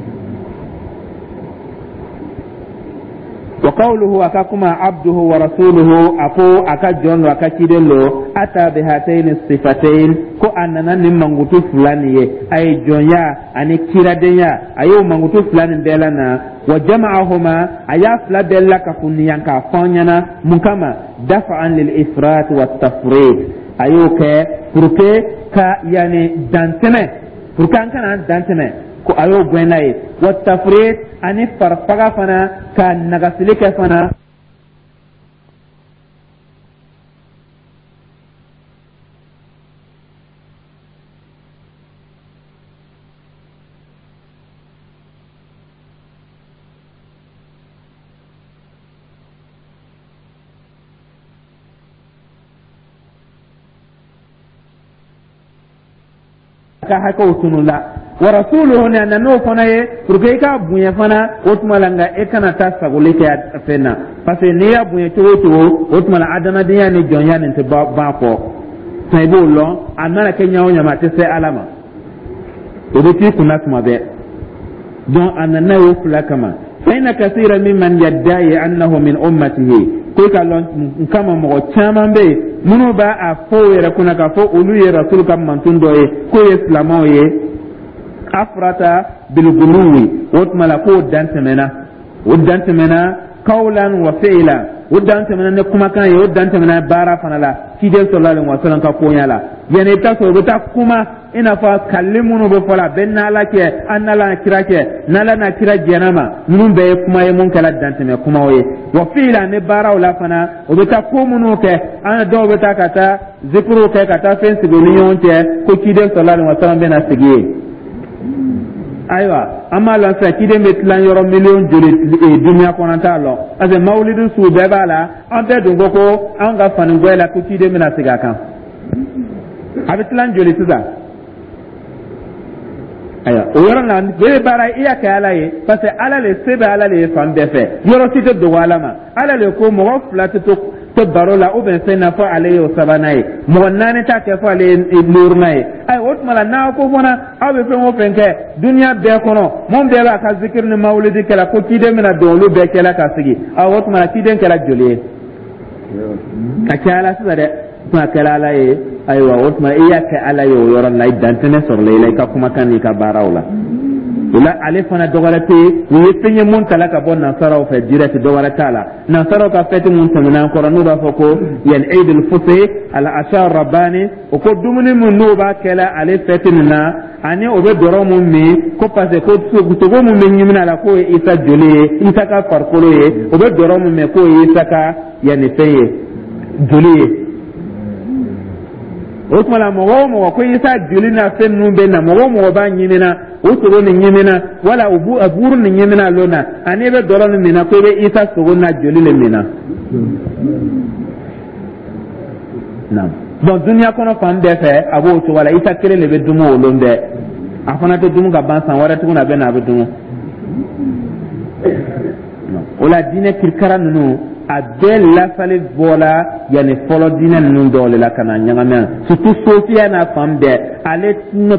Wa qawluhu, a ka kuma, abduhu wa rasuluhu, a ko a ka jɔn don, a ka ciden don. Ata bi hatayni sifatayn, ko a nana ni mankutu fila nin ye, a ye jɔnya ani kiradenya, a y'o mankutu fila nin bɛɛ lana. Wa jama'ahuma, a y'a fila bɛɛ lakafunniya k'a fɔ an ɲɛna mun kama? Dafa'an lil ifrat wa tafrit. A y'o kɛ pour que ka yani dantɛmɛ, pour que an kana an dantɛmɛ, ko a y'o gɛn n'a ye. Wa tafrit, ani farifaga fana, ka nagasili kɛ fana. Ka hakɛw tunu la. Wa rasuluhu, ni a nan'o fana ye pour que i k'a bonya fana. O tuma la, nka e kana taa sagoli kɛ a fɛn na, parce que n'i y'a bonya cogo o cogo, o tuma la, adamadenya ni jɔnya nin tɛ ban kɔ. I b'o lɔn, a mana kɛ ɲa o ɲa ma, a tɛ se Ala ma, o bɛ t'i kunna tuma bɛɛ. Donc a nana y'o fila kama. Fa inna kasira mimman yadda'i annahu min ummatihi, ko i ka lɔn n kama, mɔgɔ caman bɛ yen minnu b'a a fɔ u yɛrɛ kunna k'a fɔ olu ye Rasul ka mantun dɔ ye, k'o ye silamɛw ye. Afrata bilguluwi, o tuma la k'o dan tɛmɛna, o dan tɛmɛna kawlan wa fi'lan, o dan tɛmɛna ni kumakan ye, o dan tɛmɛna baara fana la, ciden sallallahu alaihi wasallam ka koɲa la. Yani i bɛ taa sɔrɔ u bɛ taa kuma i n'a fɔ kalili minnu bɛ fɔ la, bɛɛ n'Ala cɛ, an n'Ala n'a kira cɛ, n'Ala n'a kira jɛn'a ma, ninnu bɛɛ ye kuma ye mun kɛra dantɛmɛ kumaw ye. Wa fi'lan, ni baaraw la fana, o bɛ taa ko minnu kɛ, an dɔw bɛ taa ka taa zikiriw kɛ, ka taa fɛn sigi u ni ɲɔgɔn cɛ, ko ciden sallallahu alaihi wasallam bɛna sigi yen. Ayiwa, an b'a lɔn sisan ciden bɛ tilan yɔrɔ miliyɔn joli duniya kɔnɔ, an t'a lɔn, parce que mawulidi sugu bɛɛ b'a la. An bɛɛ dun ko ko an ka fani gwɛ la ko ciden bɛna sigi a kan, a bɛ tilan joli sisan? Ayiwa, o yɔrɔ la bɛɛ bɛ baara, i y'a kɛ Ala ye, parce que Ala le se bɛ, Ala le ye fan bɛɛ fɛ, yɔrɔ si tɛ dogo Ala ma. Ala le ko mɔgɔ fila tɛ to baro la ou bien fɛn na fɔ ale ye o sabanan ye, mɔgɔ naani t'a kɛ fɔ ale ye duurunan ye. Ayiwa, o tuma la, n'aw ko fana aw bɛ fɛn o fɛn kɛ duniya bɛɛ kɔnɔ, mun bɛɛ b'a ka zikiri ni mawulidi kɛla, ko ciden bɛna don olu bɛɛ cɛla ka sigi, ayiwa, o tuma la ciden kɛra joli ye? Ka caya la sisan dɛ. Kuma kɛra Ala ye, ayiwa, o tuma i y'a kɛ Ala ye o yɔrɔ la, i dantɛmɛ sɔrɔla i la i ka kumakan n'i ka baaraw la. O la, ale fana dɔwɛrɛ tɛ yen, o ye fɛn ye mun tala ka bɔ nansaraw fɛ direct, dɔwɛrɛ t'a la. Nansaraw ka fɛti mun tɛmɛna an kɔrɔ, n'u b'a fɔ ko yan Eidul Fitr al Asha Rabbani, o ko dumuni min n'u b'a kɛla ale fɛti nin na, ani o bɛ dɔrɔ mun min, ko parce que ko sogo mun bɛ ɲimina a la, k'o ye Isa joli ye, Isa ka farikolo ye, o bɛ dɔrɔ mun min, k'o ye Isa ka yanni fɛn ye, joli ye. O tuma la, mɔgɔ o mɔgɔ ko Isa joli n'a fɛn ninnu bɛ na, mɔgɔ o mɔgɔ b'a ɲimina, o sogo nin ɲimina wala o buuru nin ɲimina lon na, ani i bɛ dɔlɔ nin minna, ko i bɛ Isa sogo n'a joli le minna. Donc duniya kɔnɔ fan bɛɛ fɛ, a b'o cogo la. Isa kelen de bɛ dumu o lon bɛɛ, a fana tɛ dumu ka ban, san wɛrɛ tuguni a bɛ na, a bɛ dumu o la. Diinɛ kirikara ninnu, a bɛɛ lasali bɔla yanni fɔlɔ diinɛ ninnu dɔw de la ka na ɲagami yan, surtout sofiya n'a fan bɛɛ, ale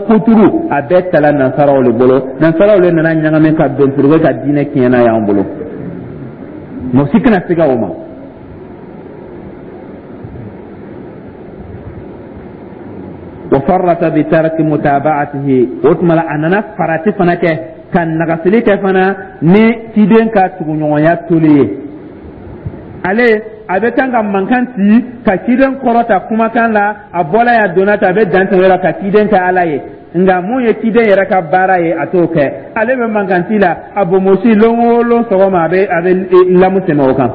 kuturu, a bɛɛ tala nansaraw de bolo. Nansaraw de nana ɲagami ka bɛn pour que ka diinɛ tiɲɛ n'a y'an bolo. Mɔgɔ si kana siga o ma. Wa farrata bi tarki mutaba'atihi, o tuma la a nana farati fana kɛ ka nagasili kɛ fana ni ciden ka tuguɲɔgɔnya toli ye. Ale a bɛ kan ka mankan ci ka ciden kɔrɔta kumakan la, a bɔla yan, a donna tan, a bɛ dan tɛmɛ la ka ciden kɛ Ala ye. Nka mun ye ciden yɛrɛ ka baara ye, a t'o kɛ. Ale bɛ mankan ci la, a bonbonsi lon o lon sɔgɔma, a bɛ lamu tɛmɛ o kan.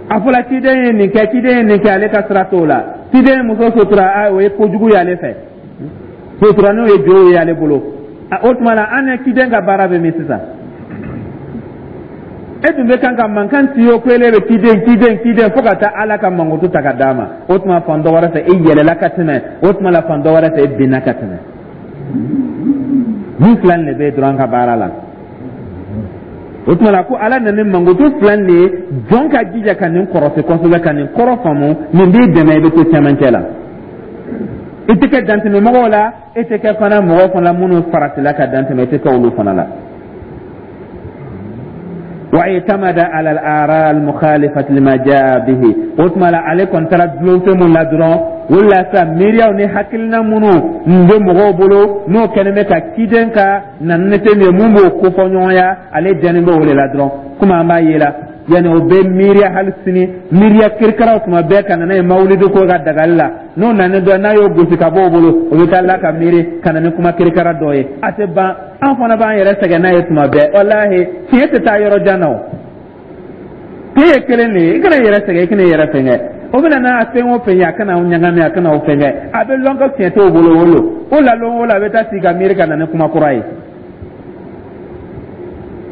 A fɔla ciden ye nin kɛ, ciden ye nin kɛ, ale ka sira t'o la. Ciden ye muso sutura, o ye kojugu ye ale fɛ, sutura n'o ye jo ye ale bolo. O tuma la, an ni ciden ka baara bɛ min sisan? E tun bɛ kan ka mankan ci o ko ele bɛ ciden, ciden, ciden, fo ka taa Ala ka mankutu ta ka d'a ma. O tuma fan dɔ wɛrɛ fɛ, e yɛlɛla ka tɛmɛ, o tuma la fan dɔ wɛrɛ fɛ, e binna ka tɛmɛ. Nin fila de bɛ dɔrɔn ka baara la. O tuma la ko Ala nana ni mankutu fila de ye. Jɔn ka jija ka nin kɔrɔsi kosɛbɛ, ka nin kɔrɔ faamu. Nin b'i dɛmɛ, i bɛ to cɛmancɛ la, i tɛ kɛ dantɛmɛmɔgɔw la, e tɛ kɛ fana mɔgɔ fana minnu faratila ka dantɛmɛ, i tɛ kɛ olu fana la. Wa i'tamada ala al-ara al-mukhalifati lima jaa bihi, o tuma la ale kɔni taara dulon fɛn mun la dɔrɔn, o la sa miiriyaw ni hakilina minnu bɛ mɔgɔw bolo, n'o kɛlen bɛ ka ciden ka na ni fɛn min ye, mun b'o kofɔ ɲɔgɔnya, ale dɛnnen bɛ o de la dɔrɔn. Komi an b'a ye la, yanni o bɛ miiriya hali sini, miiriya kirikaraw tuma bɛɛ ka na n'a ye mawulidi ko ka dagali la. N'o nana dɔ n'a y'o gosi ka bɔ o bolo, o bɛ taa la ka miiri ka na ni kuma kirikara dɔ ye. A tɛ ban, an fana b'an yɛrɛ sɛgɛn n'a ye tuma bɛɛ. Walahi, tiɲɛ tɛ taa yɔrɔ jan na. O tiɲɛ ye kelen de ye. I kana i yɛrɛ sɛgɛn, i kana i yɛrɛ fɛngɛ. O bɛna n'a fɛn o fɛn ye, a kana aw ɲagami, a kana aw fɛngɛ. A bɛ lɔn ko tiɲɛ t'o bolo. O lo o la, lon o la, a bɛ taa sigi ka miiri ka na ni kuma kura ye.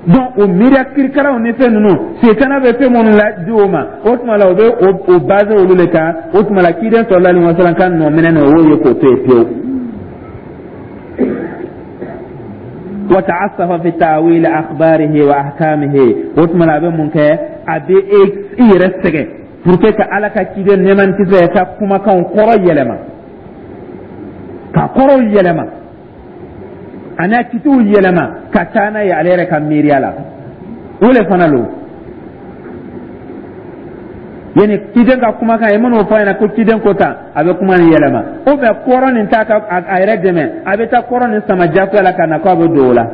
Donc o miiriya kirikaraw ni fɛn ninnu, setana bɛ fɛn minnu la di o ma, o tuma la o bɛ o base olu de kan. O tuma la ciden sallallahu alaihi wasallam ka nɔ minɛ o y'o ye k'o to yen pewu. Wa ta'assafa fi ta'wil akhbarihi wa ahkamihi, o tuma la a bɛ mun kɛ? A bɛ i yɛrɛ sɛgɛn pour que ka Ala ka ciden nɛɛma ni kisi ka kumakanw kɔrɔ yɛlɛma, ka kɔrɔw yɛlɛma, a n'a kitiw yɛlɛma ka taa n'a ye ale yɛrɛ ka miiriya la. O le fana lo yani ciden ka kumakan ye minnu fɔ a ɲɛna ko ciden ko tan, a bɛ kuma nin yɛlɛma o bɛ kɔrɔ nin ta ka a yɛrɛ dɛmɛ, a bɛ taa kɔrɔ nin sama jagoya la ka na k'a bɛ don o la.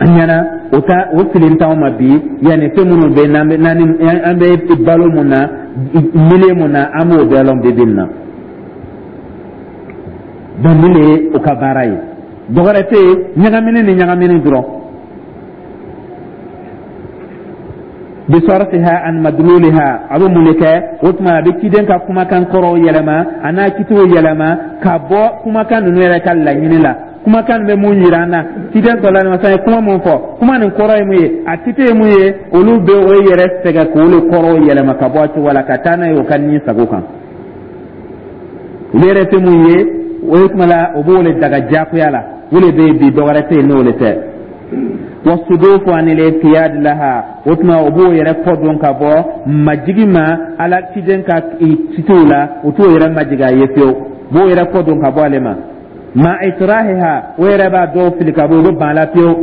An ɲɛna o ta o fili t'anw ma bi. Yanni fɛn minnu bɛ n'an bɛ n'an an bɛ balo mun na, milieu mun na, an b'o bɛɛ lɔn bi bi in na. Donc nin de ye o ka baara ye, dɔwɛrɛ tɛ yen, ɲagamini ni ɲagamini dɔrɔn. Bisarfiha an madluliha, a bɛ mun de kɛ? O tuma a bɛ ciden ka kumakan kɔrɔw yɛlɛma, a n'a kitiw yɛlɛma ka bɔ kumakan ninnu yɛrɛ ka laɲini la. Kumakan bɛ mun yira an na? Ciden sallallahu alaihi wasallam ye kuma mun fɔ, kuma nin kɔrɔ ye mun ye, a kiti ye mun ye, olu bɛ o yɛrɛ sɛgɛn k'olu kɔrɔw yɛlɛma ka bɔ a cogo la ka taa n'a ye o ka ni sago kan. Olu yɛrɛ tɛ mun ye, o ye kuma la o b'o le daga diyagoya la. O le bɛ yen bi, dɔwɛrɛ tɛ yen n'o le tɛ. Wasudufu anil inqiyad laha, o tuma o b'o yɛrɛ kɔ don ka bɔ majigi ma Ala ciden ka kitiw la, o t'o yɛrɛ majigi a ye fiyewu, b'o yɛrɛ kɔ don ka bɔ ale ma. Ma itrahiha, o yɛrɛ b'a dɔw fili ka bɔ, o bɛ ban a la fiyewu.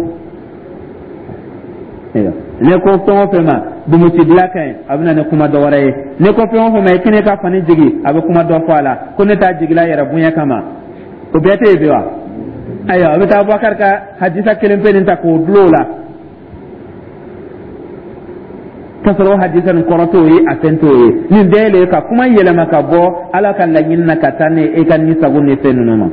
Ne ko fɛn o fɛn ma dumutibila ka ɲi, a bɛ na ni kuma dɔ wɛrɛ ye. Ne ko fɛn o fɛn ma i kɛnɛ ka fani jigi, a bɛ kuma dɔ fɔ a la ko ne t'a jigila yɛrɛ bonya kama. O bɛɛ tɛ yen bi wa? Ayiwa, a bɛ taa Abubakar ka hadisa kelen pe nin ta k'o dulon o la, k'a sɔrɔ o hadisa nin kɔrɔ t'o ye, a fɛn t'o ye. Nin bɛɛ le ka kuma yɛlɛma ka bɔ Ala ka laɲini na ka taa ni e ka ni sago ni fɛn ninnu ma.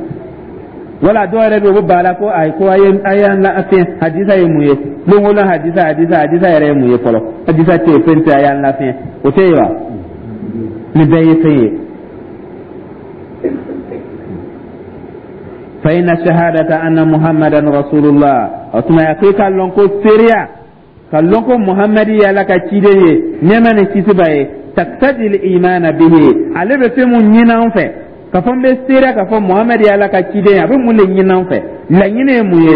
Wala dɔw yɛrɛ bɛ yen, u bɛ ban a la ko ayi, ko a ye a y'an lafiɲɛ. Hadisa ye mun ye? Don o don hadisa, hadisa, hadisa yɛrɛ ye mun ye fɔlɔ? Hadisa tɛ yen, fɛn tɛ, a y'an lafiɲɛ. O tɛ yen wa? Nin bɛɛ ye fɛn ye. Fa inna shahadata anna Muhammadan rasulullah, o tuma a ko i k'a lɔn ko seereya ka lɔn ko Muhamadi ye Ala ka ciden ye, nɛɛma ni kisi b'a ye, taktadil imana bihi, ale bɛ fɛn mun ɲini an fɛ, k'a fɔ n bɛ seereya k'a fɔ Muhamadi ye Ala ka ciden ye, a bɛ mun de ɲini an fɛ? Laɲini ye mun ye?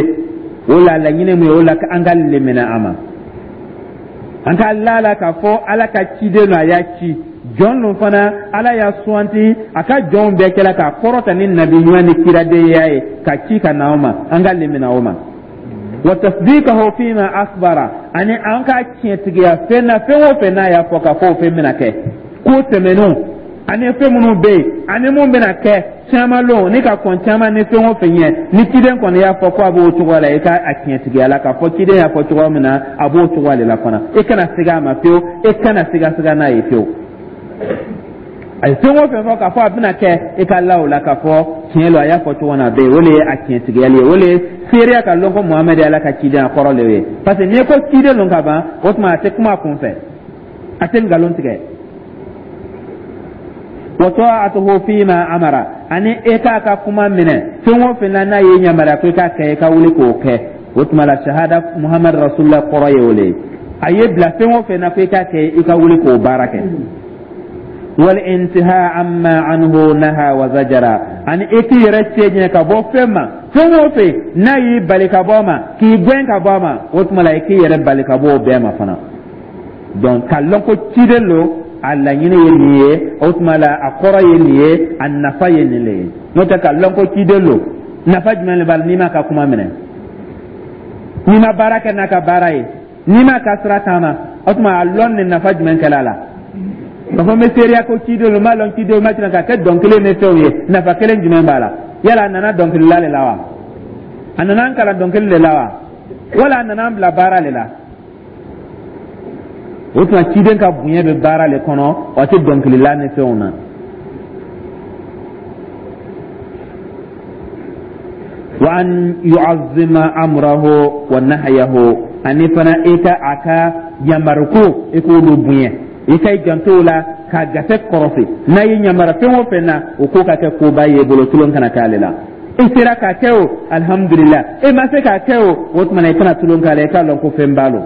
O la laɲini ye mun ye? O la an ka lemina a ma, an ka la la k'a fɔ Ala ka ciden don, a y'a ci jɔn don fana, Ala y'a suwanti a ka jɔnw bɛɛ cɛla k'a kɔrɔta ni nabi ɲuman ni kiradenya ye ka ci ka na o ma, an ka lemina o ma. Wa tasdiqahu fima akhbara, ani an ka tiɲɛtigiya fɛn na, fɛn o fɛn n'a y'a fɔ k'a fɔ o fɛn bɛna kɛ, ko tɛmɛnenw ani fɛn minnu bɛ yen ani mun bɛna kɛ caman lon ni ka kɔn caman ni fɛn o fɛn ɲɛ, ni ciden kɔni y'a fɔ ko a b'o cogoya la, i ka a tiɲɛtigiya la k'a fɔ ciden y'a fɔ cogoya min na, a b'o cogoya de la fana. I kana siga a ma fiyewu, i kana siga siga n'a ye fiyewu. A ye fɛn o fɛn fɔ k'a fɔ a bɛna kɛ, i ka la o la k'a fɔ tiɲɛ lo, a y'a fɔ cogo na a bɛ yen. O de ye a tiɲɛtigiyali ye, o de ye seereya ka lɔn ko Muhamadu ye Ala ka ciden, a kɔrɔ de ye. Parce que n'i ko ciden don ka ban, o tuma a tɛ kuma a kun fɛ, a tɛ nkalon tigɛ. Wa ta'atuhu fima amara, ani e k'a ka kuma minɛ fɛn o fɛn na n'a ye yamaruya ko i k'a kɛ, i ka wuli k'o kɛ. O tuma la shahada Muhamadu rasulullah kɔrɔ ye o de ye. A ye bila fɛn o fɛn na ko i k'a kɛ, i ka wuli k'o baara kɛ. Wal intiha amma anhu naha wa zajara, ani i k'i yɛrɛ cɛ ka bɔ fɛn ma, fɛn o fɛn n'a y'i bali ka bɔ a ma, k'i gɛn ka bɔ a ma, o tuma la i k'i yɛrɛ bali ka bɔ o bɛɛ ma fana. Donc k'a lɔn ko ciden lo, a laɲini ye nin ye, o tuma la a kɔrɔ ye nin ye, a nafa ye nin le ye. N'o tɛ, k'a lɔn ko ciden lo, nafa jumɛn de b'a la n'i m'a ka kuma minɛ, n'i ma baara kɛ n'a ka baara ye, n'i m'a ka sira taama? O tuma a lɔn nin nafa jumɛn kɛla a la? K'a fɔ n bɛ seereya ko ciden lo, n b'a lɔn ciden, ma ciden, k'a kɛ dɔnkili ni fɛnw ye, nafa kelen jumɛn b'a la? Yala a nana dɔnkilila le la wa? A nana an kalan dɔnkili le la wa? Wala a nana an bila baara le la? O tuma ciden ka bonya bɛ baara le kɔnɔ, o tɛ dɔnkilila ni fɛnw na. Wa an yu'azzima amrahu wa nahyahu, ani fana i ka a ka yamaruko, i k'olu bonya, i ka i janto o la k'a gase kɔrɔsi. N'a ye yamaru fɛn o fɛn na, o ko ka kɛ koba ye bolo, tulon kana k'ale la. I sera k'a kɛ o, alihamudulila. I ma se k'a kɛ o, o tuma na i kana tulon k'a la, i k'a lɔn ko fɛn b'a lo,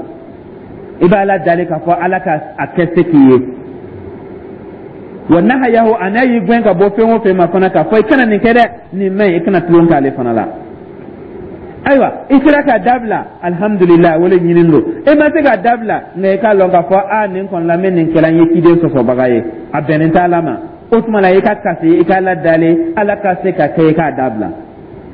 i b'a la dali k'a fɔ Ala ka a kɛ se k'i ye. Wa nahayahu, a n'a y'i gɛn ka bɔ fɛn o fɛn ma fana, k'a fɔ i kana nin kɛ dɛ, nin man ɲi, i kana tulon k'ale fana la. Ayiwa, i sera k'a dabila, alihamudulila, o le ɲinin don. I ma se k'a dabila, nka i k'a lɔn k'a fɔ a nin kɔni la, n bɛ nin kɛla, n ye ciden sɔsɔbaga ye, a bɛnnen t'Ala ma. O tuma la i ka kasi, i k'a la dali Ala ka se ka kɛ i k'a dabila.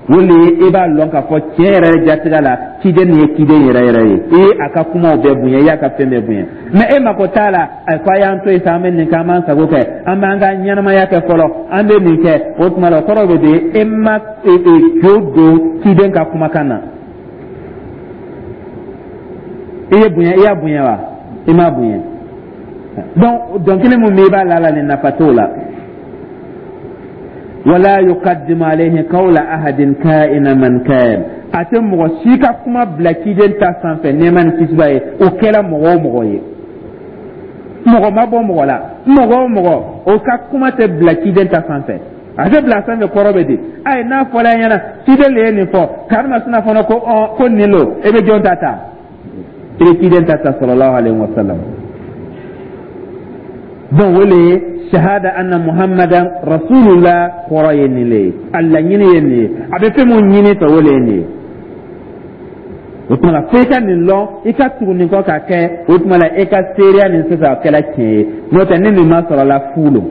O le ye i b'a lɔn k'a fɔ tiɲɛ yɛrɛ jatigɛ la, ciden nin ye ciden yɛrɛ yɛrɛ ye. I ye a ka kumaw bɛɛ bonya, i y'a ka fɛn bɛɛ bonya, mɛ e mako t'a la. A ko a y'an to yen sa, an bɛ nin kɛ, an b'an sago kɛ, an b'an ka ɲɛnamaya kɛ fɔlɔ, an bɛ nin kɛ. O tuma la o kɔrɔ bɛ di e ma jo don ciden ka kumakan na. I ye bonya, i y'a bonya wa? I m'a bonya. Donc dɔnkili mun bɛ i b'a la la, nin nafa t'o la. Wala yuqaddimu alayhi qawla ahadin ka'ina man kan, a tɛ mɔgɔ si ka kuma bila ciden ta sanfɛ, nɛɛma ni kisi b'a ye, o kɛra mɔgɔ o mɔgɔ ye, mɔgɔ ma bɔ mɔgɔ la, mɔgɔ o mɔgɔ, o ka kuma tɛ bila ciden ta sanfɛ. A tɛ bila sanfɛ kɔrɔ bɛ di? Ayi, n'a fɔra e ɲɛna ciden le ye nin fɔ, karimasina fana ko ɔ ko nin lo, e bɛ jɔn ta ta? I bɛ ciden ta ta, sallallahu alaihi wa sallam. Donc o le ye shahada anna Muhammadan rasulullah kɔrɔ ye nin le ye, a laɲini ye nin ye, a bɛ fɛn mun ɲini fɛ, o le ye nin ye. O tuma la fo i ka nin lɔn, i ka tugu nin kɔ k'a kɛ. O tuma la e ka seereya nin sisan, o kɛla tiɲɛ ye. N'o tɛ, ni nin ma sɔrɔ la, fu lo.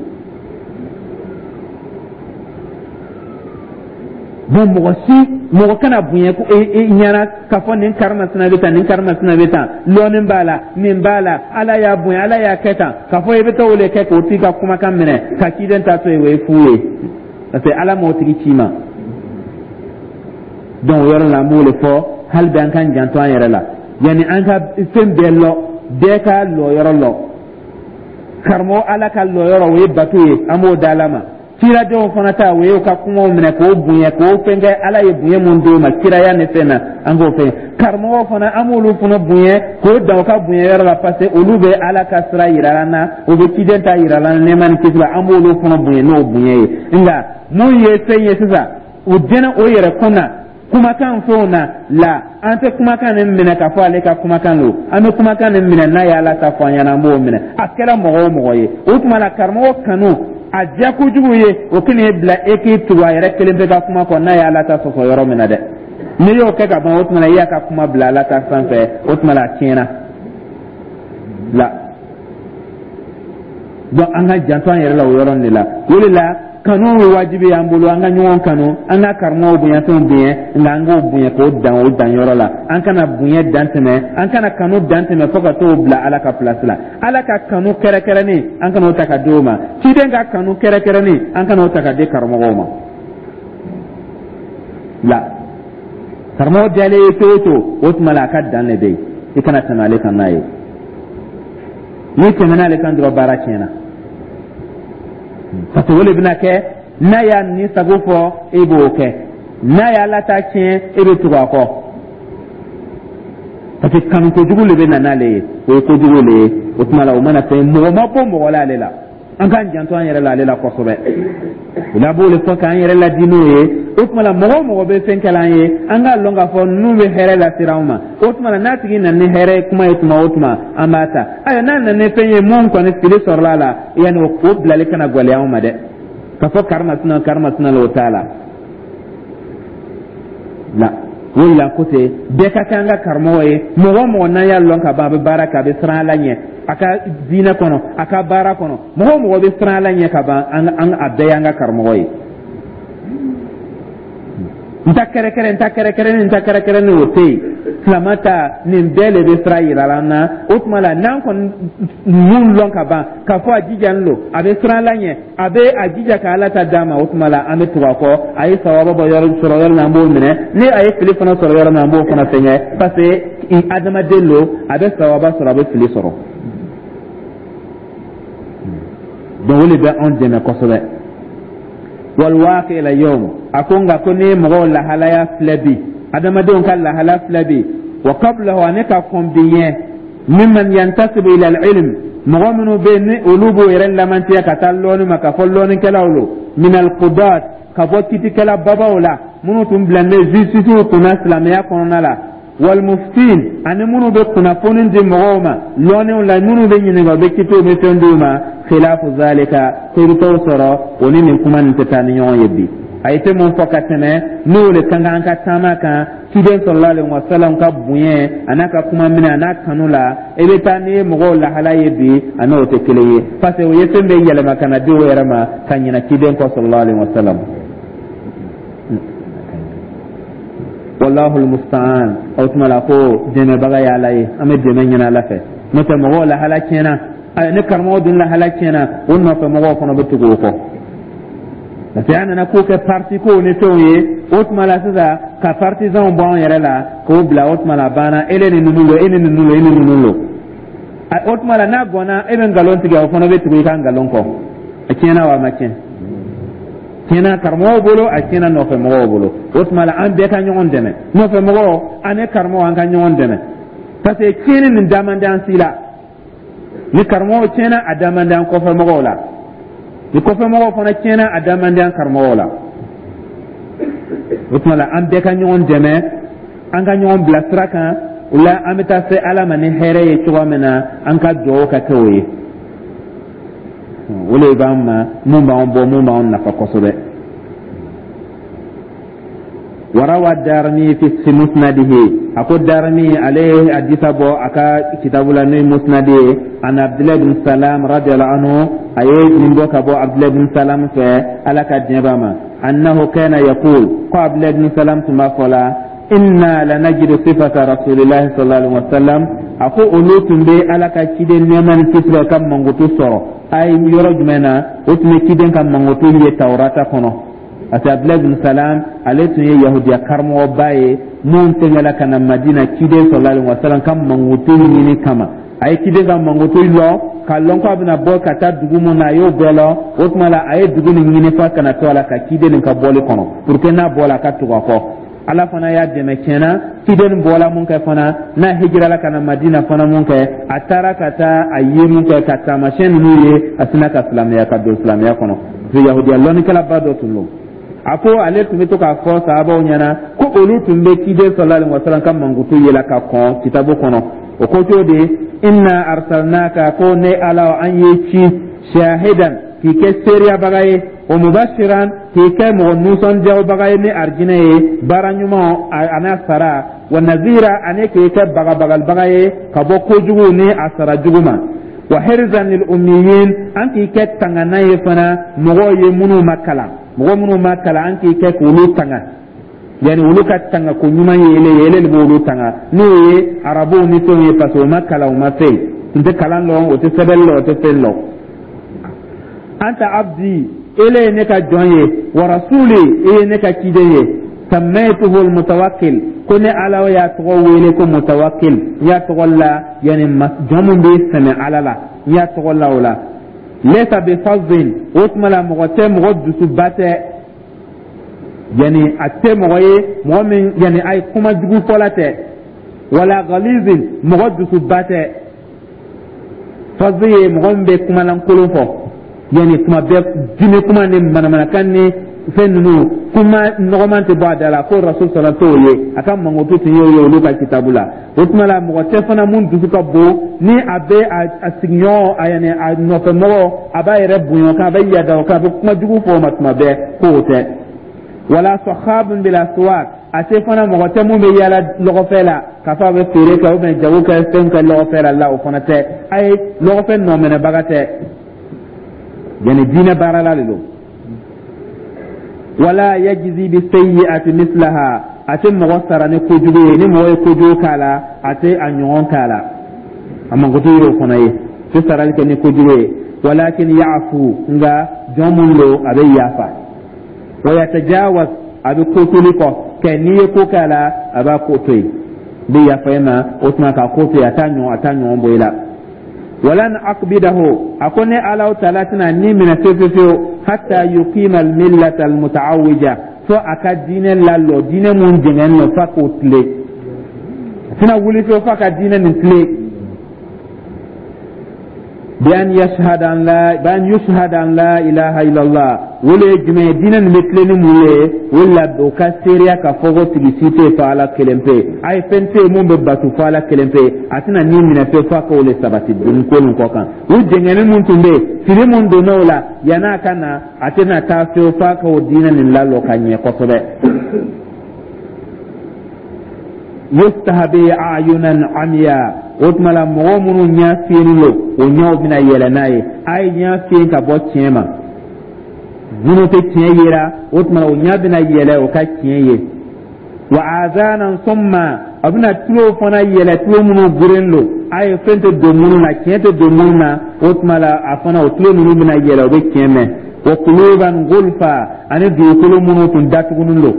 Bon, mɔgɔ si, mɔgɔ kana bonya ko e ɲɛna k'a fɔ nin karimasina bɛ tan, nin karimasina bɛ tan, lɔnni b'a la, nin b'a la, Ala y'a bonya, Ala y'a kɛ tan, k'a fɔ i bɛ taa o de kɛ k'o t'i ka kumakan minɛ ka ciden ta to yen, o ye fu ye, parce que Ala m'o tigi ci ma. Donc o yɔrɔ la, an b'o de fɔ hali bi, an k'an janto an yɛrɛ la yanni an ka fɛn bɛɛ lɔ. Bɛɛ ka lɔyɔrɔ lɔ. Karamɔgɔ, Ala ka lɔyɔrɔ, o ye bato ye, an b'o da Ala ma. Kiradenw fana ta, o ye u ka kumaw minɛ k'o bonya, k'o fɛn kɛ. Ala ye bonya mun d'o ma kiraya ni fɛn na, an k'o fɛn. Karamɔgɔw fana, an b'olu fana bonya k'o dan u ka bonya yɔrɔ la, parce que olu bɛ Ala ka sira yira an na, u bɛ ciden ta yira an na, nɛɛma ni kisi la. An b'olu fana bonya n'o bonya ye. Nka mun ye fɛn ye sisan, u dɛnɛ o yɛrɛ kun na kumakan fɛnw na la, an tɛ kumakan nin minɛ k'a fɔ ale ka kumakan don. An bɛ kumakan nin minɛ n'a ye Ala ta fɔ an ɲɛna, an b'o minɛ, a kɛra mɔgɔ o mɔgɔ ye. O tuma la, karamɔgɔ kanu a diya kojugu ye, o kɛnɛ bila e k'i tugu a yɛrɛ kelen bɛ ka kuma kɔ n'a ye Ala ta sɔsɔ yɔrɔ min na dɛ. N'i y'o kɛ ka ban, o tuma la, i y'a ka kuma bila Ala ta sanfɛ, o tuma la, a tiɲɛna la. Donc an ka janto an yɛrɛ la o yɔrɔ de la. O de la, kanu ye wajibi y'an bolo, an ka ɲɔgɔn kanu, an ka karamɔgɔw bonya, fɛnw bonya, nka an k'o bonya k'o dan o dan yɔrɔ la. An kana bonya dan tɛmɛ, an kana kanu dan tɛmɛ fo ka t'o bila Ala ka place la. Ala ka kanu kɛrɛkɛrɛnnen, an kana o ta ka di o ma. Ciden ka kanu kɛrɛkɛrɛnnen, an kana o ta ka di karamɔgɔw ma la. Karamɔgɔ diyalen ye cogo o cogo, o tuma la, a ka dan de bɛ yen, i kana tɛmɛ ale kan n'a ye. N'i tɛmɛna ale kan dɔrɔn, baara tiɲɛna, parce que o de bɛna kɛ. N'a y'a ni sago fɔ, e b'o kɛ. N'a y'a la ta tiɲɛ, e bɛ tugu a kɔ, parce que kanu kojugu de bɛ na n'ale ye, o ye kojugu de ye. O tuma la, o mana fɛn, mɔgɔ ma bɔ mɔgɔ la ale la. An k'an janto an yɛrɛ la ale la kosɛbɛ. O la, b'o de fɔ k'an yɛrɛ ladi n'o ye. O tuma la, mɔgɔ o mɔgɔ bɛ fɛn kɛla an ye, an k'a lɔn k'a fɔ ninnu bɛ hɛrɛ lasera anw ma. O tuma la, n'a tigi nana ni hɛrɛ kuma ye tuma o tuma, an b'a ta. Ayiwa, n'a nana ni fɛn ye mun kɔni fili sɔrɔla a la, yanni o bilali kana gɛlɛya anw ma dɛ, k'a fɔ karimasina karimasina la, o t'a la la. O de la, ko ten, bɛɛ ka kɛ an ka karamɔgɔ ye. Mɔgɔ o mɔgɔ n'an y'a lɔn ka ban, a bɛ baara kɛ, a bɛ siran Ala ɲɛ a ka diinɛ kɔnɔ, a ka baara kɔnɔ, mɔgɔ o mɔgɔ bɛ siran Ala ɲɛ ka ban, an a bɛɛ y'an ka karamɔgɔ ye. N ta kɛrɛkɛrɛ, n ta kɛrɛkɛrɛnin, n ta kɛrɛkɛrɛnin, o tɛ yen. Silama ta nin bɛɛ de bɛ sira yira an na. O tuma la, n'an kɔni mun lɔn ka ban k'a fɔ a jijalen don, a bɛ siran Ala ɲɛ, a bɛ a jija ka Ala ta d'a ma, o tuma la, an bɛ tugu a kɔ. A ye sawaba bɔ yɔrɔ sɔrɔ yɔrɔ min, an b'o minɛ. Ni a ye fili fana sɔrɔ yɔrɔ min, an b'o fana fɛngɛ, parce que adamaden don, a bɛ sawaba sɔrɔ, a bɛ fili sɔrɔ. Donc o de bɛ anw dɛmɛ kosɛbɛ. Walwaqi ila yawm, a ko nka ko n'i ye mɔgɔw lahalaya filɛ bi, adamadenw ka lahala filɛ bi, wa qablahu, ani ka kɔn bi ɲɛ, mimman yantasibu ila al-ilm, mɔgɔ minnu bɛ yen ni olu b'o yɛrɛ lamantiya ka taa lɔnni ma, k'a fɔ lɔnnikɛlaw lo, min al-qudat, ka bɔ kitikɛla babaw la, minnu tun bilalen bɛ justice kunna silamɛya kɔnɔna la, walmuftin, ani minnu bɛ kunnafoni di mɔgɔw ma lɔnniw la, minnu bɛ ɲininka, u bɛ kitiw bɛ fɛn d'u ma, khilafu zalika, ko i bɛ t'o sɔrɔ o ni nin kuma nin tɛ taa ni ɲɔgɔn ye bi. A ye fɛn mun fɔ ka tɛmɛ, n'o de ka kan an ka taama kan, ciden sallallahu alaihi wasallam ka bonya a n'a ka kuma minɛ a n'a kanu la, i bɛ taa n'i ye mɔgɔw lahala ye bi, a n'o tɛ kelen ye, parce que o ye fɛn bɛɛ yɛlɛma ka na di o yɛrɛ ma ka ɲinɛ ciden kɔ sallallahu alaihi wasallam. Wallahu almusta'an. O tuma la, ko dɛmɛbaga ye Ala ye, an bɛ dɛmɛ ɲini Ala fɛ. N'o tɛ, mɔgɔw lahala tiɲɛna, ni karamɔgɔ dun lahala tiɲɛna, o nɔfɛ mɔgɔw fana bɛ tugu o kɔ, parce que an nana ko kɛ parti kow ni fɛnw ye. O tuma la sisan, ka partisanw bɔ an yɛrɛ la k'o bila, o tuma la, a banna. E ni ninnu lo, e ni ninnu lo, e ni ninnu lo. O tuma la, n'a gɔnna, e bɛ nkalon tigɛ, o fana bɛ tugu i ka nkalon kɔ. A tiɲɛna wa a ma tiɲɛ? Tiɲɛna karamɔgɔw bolo, a tiɲɛna nɔfɛ mɔgɔw bolo. O tuma la, an bɛɛ ka ɲɔgɔn dɛmɛ, nɔfɛ mɔgɔw ani karamɔgɔw, an ka ɲɔgɔn dɛmɛ, parce que tiɲɛni nin da man di an si la. Ni karamɔgɔw tiɲɛna, a da man di an kɔfɛ mɔgɔw la. Ni kɔfɛ mɔgɔw fana tiɲɛna, a da man di an karamɔgɔw la. O tuma la, an bɛɛ ka ɲɔgɔn dɛmɛ, an ka ɲɔgɔn bila sira kan. O la, an bɛ taa se Ala ma ni hɛrɛ ye cogoya min na, an ka dugawu ka kɛ o ye. O de b'an ma mun b'an bɔ, mun b'an nafa kosɛbɛ. Warawa Darimi fi musnadihi, a ko Darimi ale ye hadisa bɔ a ka kitabu la, n'o ye musnadi ye, an Abdulayi bin Salam radiyallahu anhu, a ye nin bɔ ka bɔ Abdulayi bin Salam fɛ, Ala ka diɲɛ b'a ma. Annahu kana yaqul, ko Abdulahi ibn Salam tun b'a fɔ la: inna lanajidu sifata rasulillahi sallallahu alaihi wasallam. A ko olu tun bɛ Ala ka ciden, nɛɛma ni kisi, ka mankutu sɔrɔ a ye yɔrɔ jumɛn na? O tun bɛ ciden ka mankutu ye Tawurata kɔnɔ, parce que Abdulahi bin Salam, ale tun ye yahudiya karamɔgɔba ye mun tɛmɛla ka na Madina ciden sallallahu alaihi wasallam ka mankutu ɲini kama. A ye ciden ka mankutu lɔn, k'a lɔn ko a bɛna bɔ ka taa dugu mun na, a y'o bɛɛ lɔn. O tuma la, a ye dugu nin ɲini f'a kana to a la ka ciden nin ka bɔli kɔnɔ, pour que n'a bɔla, a ka tugu a kɔ. Ala fana y'a dɛmɛ tiɲɛna. Ciden bɔla mun kɛ fana, n'a hijirala ka na Madina fana mun kɛ, a taara ka taa a ye mun kɛ ka taamasiyɛn ninnu ye, a sina ka silamɛya, ka don silamɛya kɔnɔ, parce que yahudiya lɔnnikɛlaba dɔ tun don. A ko ale tun bɛ to k'a fɔ sahabaw ɲɛna ko olu tun bɛ ciden sallallahu alaihi wasallam ka mankutu yela ka kɔn kitabu kɔnɔ. O ko cogo di? Inna arsalnaka, ko ne Ala, an ye ci, shahidan, k'i kɛ seereyabaga ye, wa mubashiran, k'i kɛ mɔgɔ nisɔndiyabaga ye ni arijinɛ ye, baara ɲuman a n'a sara, wa nazira, ani k'i kɛ bagabagalibaga ye ka bɔ kojugu ni a sara jugu ma, wa hirzan lil ummiyin, an k'i kɛ tangana ye fana mɔgɔw ye minnu ma kalan, mɔgɔ minnu ma kalan, an k'i kɛ k'olu tanga, yani olu ka tanga ko ɲuman ye ele ye, ele de b'olu tanga, n'o ye arabuw ni fɛnw ye, parce que o ma kalan, o ma fɛn, tun tɛ kalan lɔn, o tɛ sɛbɛnni lɔn, o tɛ fɛn lɔn. Anta abdi, ele ye ne ka jɔn ye, wa rasuli, e ye ne ka ciden ye. Sammaytuhu almutawakkil, ko ne Ala y'a tɔgɔ wele ko mutawakkil, n y'a tɔgɔ la, yani jɔn mun bɛ sɛmɛ Ala la, n y'a tɔgɔ la o la. Laysa bi fazzin, o tuma la mɔgɔ tɛ, mɔgɔ dusuba tɛ, yani a tɛ mɔgɔ ye mɔgɔ min, yani a ye kuma jugu fɔla tɛ, wala ghalizin, mɔgɔ dusuba tɛ. Fazzi ye mɔgɔ min bɛ kumalankolon fɔ, yani kuma bɛɛ dimi kuma ni manamanakan ni fɛn ninnu, kuma nɔgɔman tɛ bɔ a da la. Ko rasul sɔrɔ t'o ye, a ka mankutu tun y'o ye olu ka kitabu la. O tuma la, mɔgɔ tɛ fana mun dusu ka bon, ni a bɛ a sigiɲɔgɔn, a yani a nɔfɛmɔgɔ, a b'a yɛrɛ bonya o kan, a bɛ yada o kan, a bɛ kuma jugu fɔ o ma tuma bɛɛ, k'o tɛ. Wala sakhabun bil aswaq, a tɛ fana mɔgɔ tɛ mun bɛ yaala lɔgɔfɛ la, k'a fɔ a bɛ feere kɛ ou bien jago kɛ, fɛn kɛ lɔgɔfɛ la la, o fana tɛ. A ye lɔgɔfɛ nɔminɛbaga tɛ, yani diinɛ baarala de don. Wala yajzi bi sayyi'ati mislaha, a tɛ mɔgɔ sara ni kojugu ye. Ni mɔgɔ ye kojugu k'a la, a tɛ a ɲɔgɔn k'a la. A mankutu y'o fana ye, tɛ sarali kɛ ni kojugu ye. Walakin ya'fu, nka jɔn mun don, a bɛ yafa, wa yatajawaz, a bɛ ko toli kɔ kɛ. N'i ye ko k'a la, a b'a ko to yen, n bɛ yafa e ma. O tuma k'a ko to yen, a t'a ɲɔgɔn bɔ i la. Walan aqbidahu, a ko ne Alaw taala tɛna ni minɛ fewu fewu fewu, hatta yuqima almillata almutaawija, fo a ka diinɛ lalɔ, diinɛ mun jɛngɛnnen don, f'a k'o tilen. A tɛna wuli fewu f'a ka diinɛ nin tilen. Bi an yushhada an la ilaha illallah. O le ye jumɛn ye? Diinɛ nin bɛ tilen ni mun ye? O la, o ka seereya ka fɔ ko tigi si tɛ yen fo Ala kelen pe, a ye fɛn tɛ yen mun bɛ bato fo Ala kelen pe. A tɛna ni minɛ fewu f'a k'o le sabati nin ko nin kɔ kan. U jɛngɛnni mun tun bɛ yen, fili mun donna o la yann'a ka na, a tɛna taa fewu f'a k'o diinɛ nin lalɔ ka ɲɛ kosɛbɛ. Yuftaha bi a'yunan amiya, o tuma la mɔgɔ minnu ɲɛ fiyennen don, o ɲɛw bɛna yɛlɛ n'a ye. A ye ɲɛ fiyen ka bɔ tiɲɛ ma, minnu tɛ tiɲɛ yera, o tuma la o ɲɛ bɛna yɛlɛ, o ka tiɲɛ ye. Wa azanan summa, a bɛna tulo fana yɛlɛ, tulo minnu guren don, a ye fɛn tɛ don minnu na, tiɲɛ tɛ don minnu na, o tuma la a fana o tulo ninnu bɛna yɛlɛ, o bɛ tiɲɛ mɛn. Wa kuluban gulfa, ani dugukolo minnu tun datugulen don,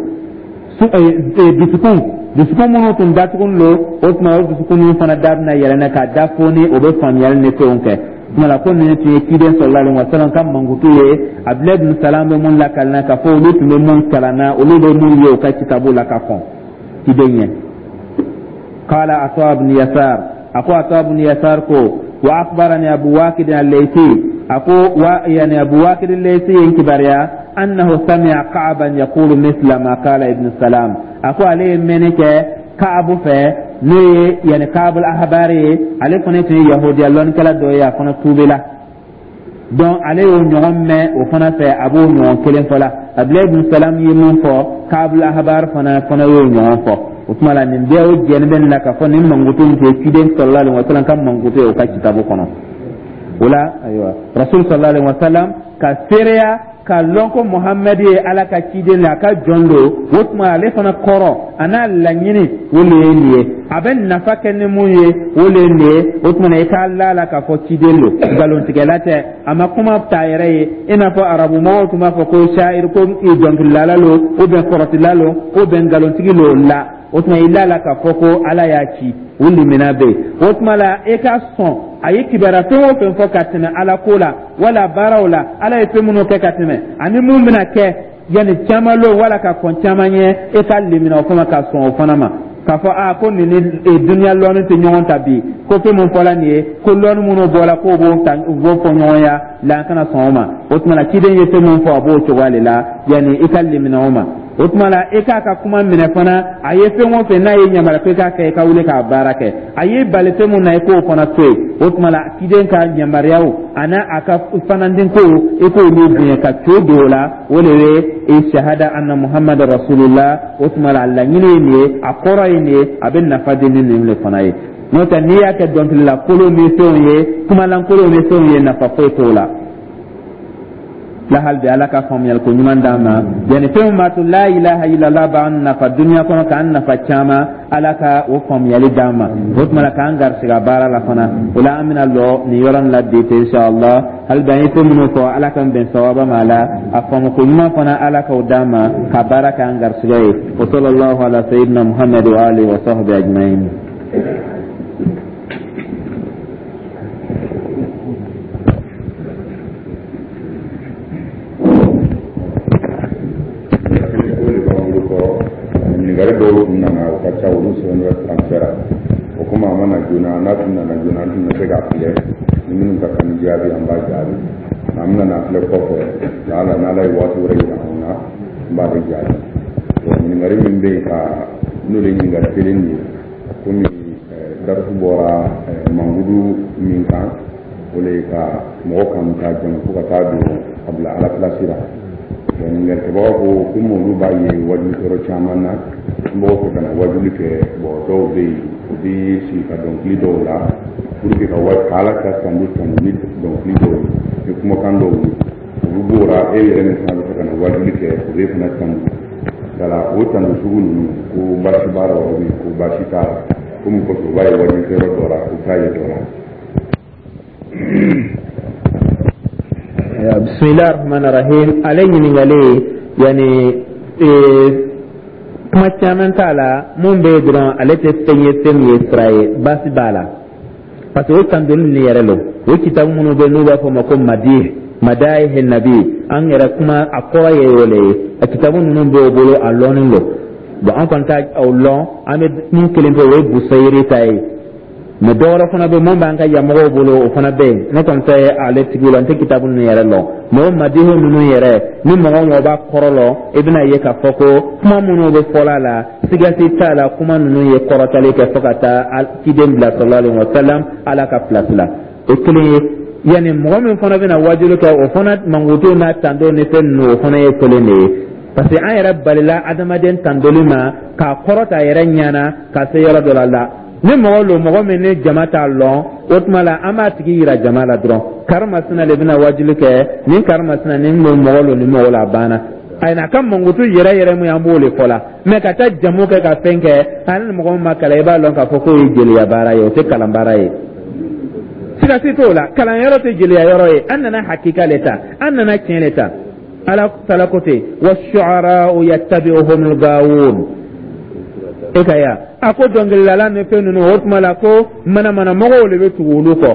dusukun minnu tun datugulen don, o tuma o dusukun ninnu fana da bɛna yɛlɛ k'a da foni, o bɛ faamuyali ni fɛnw kɛ. Tuma la ko ninnu tun ye ciden sallallahu alaihi wasallam ka mankutu ye. Abdulayi bin Salam bɛ mun lakalina k'a fɔ olu tun bɛ mun kalan na, olu bɛ mun ye u ka kitabu la ka kɔn ciden ɲɛ. Qala Ata ibn Yasar, a ko Ata ibn Yasar ko: wa akhbarani Abu Waqid al-Laythi, a ko wa yani Abu Waqid al-Laythi ye n kibaruya, annahu sami'a Ka'ban yaqulu mithla ma qala Ibn Salam. A ko ale ye mɛnni kɛ Ka'bu fɛ, n'o ye yani Ka'b al-Ahbari ye, ale fana tun ye yahudiya lɔnnikɛla dɔ ye, a fana tuubila. Donc ale y'o ɲɔgɔn mɛn o fana fɛ, a b'o ɲɔgɔn kelen fɔ la. Abdulayi ibn Salam ye mun fɔ, Ka'b al-Ahbar fana y'o ɲɔgɔn fɔ. O tuma la nin bɛɛ o jɛni bɛ nin na k'a fɔ nin mankutu in tɛ ciden sallallahu alaihi wasallam ka mankutu ye o ka kitabu kɔnɔ. O la, ayiwa, rasul sallallahu alaihi wasallam ka seereya. K'a lɔn ko Muhamadu ye Ala ka ciden de, a ka jɔn don, o tuma ale fana kɔrɔ a n'a laɲini, o le ye nin ye. A bɛ nafa kɛ ni mun ye, o le ye nin ye. O tuma na, i k'a la la k'a fɔ ciden don, nkalontigɛla tɛ, a ma kuma t'a yɛrɛ ye, i n'a fɔ arabu mɔgɔw tun b'a fɔ ko shairi, ko dɔnkilidala lo, ou bien kɔrɔtila lo, ou bien nkalontigi lo la. O tuma, i la la k'a fɔ ko Ala y'a ci, o limina bɛ yen. O tuma la, e ka sɔn a ye kibaruya fɛn o fɛn fɔ ka tɛmɛ Ala ko la wala baaraw la, Ala ye fɛn minnu kɛ ka tɛmɛ ani mun bɛna kɛ yanni caman lo wala ka kɔn caman ɲɛ, e ka limina o fana, ka sɔn o fana ma, k'a fɔ aa ko nin ni duniya lɔnni tɛ ɲɔgɔn ta bi, ko fɛn mun fɔla nin ye, ko lɔnni minnu bɔra k'o b'o ta, u b'o fɔ ɲɔgɔn ya la, an kana sɔn o ma. O tuma na, ciden ye fɛn mun fɔ, a b'o cogoya de la, yanni i ka limina o ma. O tuma la, e k'a ka kuma minɛ fana. A ye fɛn o fɛn n'a ye yamaruya ko i k'a kɛ, i ka wuli k'a baara kɛ. A ye bali fɛn mun na, i k'o fana to yen. O tuma la, ciden ka yamaruyaw a n'a a ka fanandinko, i k'olu bonya ka co don o la. O de ye i shahada anna Muhammad rasulullah. O tuma la, a laɲini ye nin ye, a kɔrɔ ye nin ye, a bɛ nafa di ni nin de fana ye. N'o tɛ, n'i y'a kɛ dɔnkilila kolon ni fɛnw ye, kumalankolonw ni fɛnw ye, nafa foyi t'o la la. Hali bi, Ala ka faamuyali ko ɲuman d'an ma. Yani fɛn b'a to la ilaha illallah b'an nafa duniya kɔnɔ, k'an nafa caman, Ala ka o faamuyali d'an ma. O tuma la, k'an garisigɛ baara la fana. O la, an bɛna lɔ nin yɔrɔ nin la bi ten, inshallah. Hali bi, an ye fɛn minnu fɔ, Ala k'an bɛn sawaba ma la. A faamu ko ɲuman fana, Ala k'o d'an ma ka baara k'an garisigɛ ye. Wa sallallahu ala sayyidina Muhammad wa alihi wa sahbihi ajma'in. Ɲininkali dɔw tun nana, o ka ca, olu sɛbɛn bɛ faransɛ la. O komi a ma na joona, n'a tun nana joona, an tun bɛ se k'a filɛ ni minnu ka kan ni jaabi, an b'a jaabi. Nka an bɛna n'a filɛ kɔfɛ laala, n'Ala ye waati wɛrɛ yira anw na, an b'ale jaabi. Bon, ɲininkali min bɛ yen ka n'o de ye ɲininkali kelen de ye, komi darisu bɔra mankudu min kan, o le ye ka mɔgɔ kanu k'a jama fo ka taa don a bila Ala pilasi la. Ɲininkalikɛbaga ko komi olu b'a ye wajulikɛyɔrɔ caman na, n b'o fɛ ka na wajuli kɛ. Bon, dɔw bɛ yen, u bɛ sigi ka dɔnkili dɔw la pour que ka Ala ka tanu tanu ni dɔnkili dɔw ye, ni kumakan dɔw ye. Olu b'o la, e yɛrɛ min fana bɛ fɛ ka na wajuli kɛ, o b'e fana tanu. Yala o tanu sugu ninnu, ko baasi b'a la wa, ko baasi t'a la? Komi kɔfɛ u b'a ye wajulikɛyɔrɔ dɔ la, u t'a ye dɔ la. Bismillah rahman rahim. Ale ɲininkali, yani kuma caman t'a la. Mun bɛ yen dɔrɔn, ale tɛ fɛn ye, fɛn min ye sira ye, baasi b'a la, parce que o tandoli ninnu yɛrɛ lo, o kitabu minnu bɛ n'u b'a fɔ o ma ko madih, madayih nabi, an yɛrɛ kuma a kɔrɔ ye o le ye. A kitabu ninnu bɛ o bolo, a lɔnnen don. Bon, an kɔni t'a o lɔn. An bɛ min kelen fɛ, o ye Busayiri ta ye, mais dɔ wɛrɛ fana bɛ mun b'an ka yamɔgɔw bolo, o fana bɛ yen. Ne kɔni tɛ ale tigiw la, n tɛ kitabu ninnu yɛrɛ lɔn. Mais o madihu ninnu yɛrɛ, ni mɔgɔ o mɔgɔ b'a kɔrɔ lɔn, i bɛna ye k'a fɔ ko kuma minnu bɛ fɔla la, sigasi t'a la, kuma ninnu ye kɔrɔtali kɛ fo ka taa ciden bila sallallahu alaihi wa sallam Ala ka place la. O kelen ye. Yanni mɔgɔ min fana bɛna wajulu kɛ, o fana mankutu n'a tando ni fɛn ninnu, o fana ye kelen de ye, parce que an yɛrɛ balila adamaden tandoli ma k'a kɔrɔta yɛrɛ ɲɛna ka se yɔrɔ dɔ la. Ni mɔgɔ lo, mɔgɔ min ni jama t'a lɔn, o tuma la, an b'a tigi yira jama la dɔrɔn: karimasina de bɛna wajuli kɛ, nin karimasina nin lo, mɔgɔ lo, nin mɔgɔ la, a banna. A n'a ka mankutu yɛrɛ yɛrɛ mun ye, an b'o de fɔ la. Mais ka taa jamu kɛ ka fɛn kɛ, hali ni mɔgɔ min ma kalan, i b'a lɔn k'a fɔ k'o ye jeliya baara ye, o tɛ kalan baara ye, sigasi t'o la. Kalanyɔrɔ tɛ jeliya yɔrɔ ye. An nana hakika le ta, an nana tiɲɛ le ta. Ala tala ko ten: wa shu'ara'u yattabi'uhumul gawun. E ka ya a ko dɔnkilidala ni fɛn ninnu, o tuma la ko manamana mɔgɔw de bɛ tugu olu kɔ.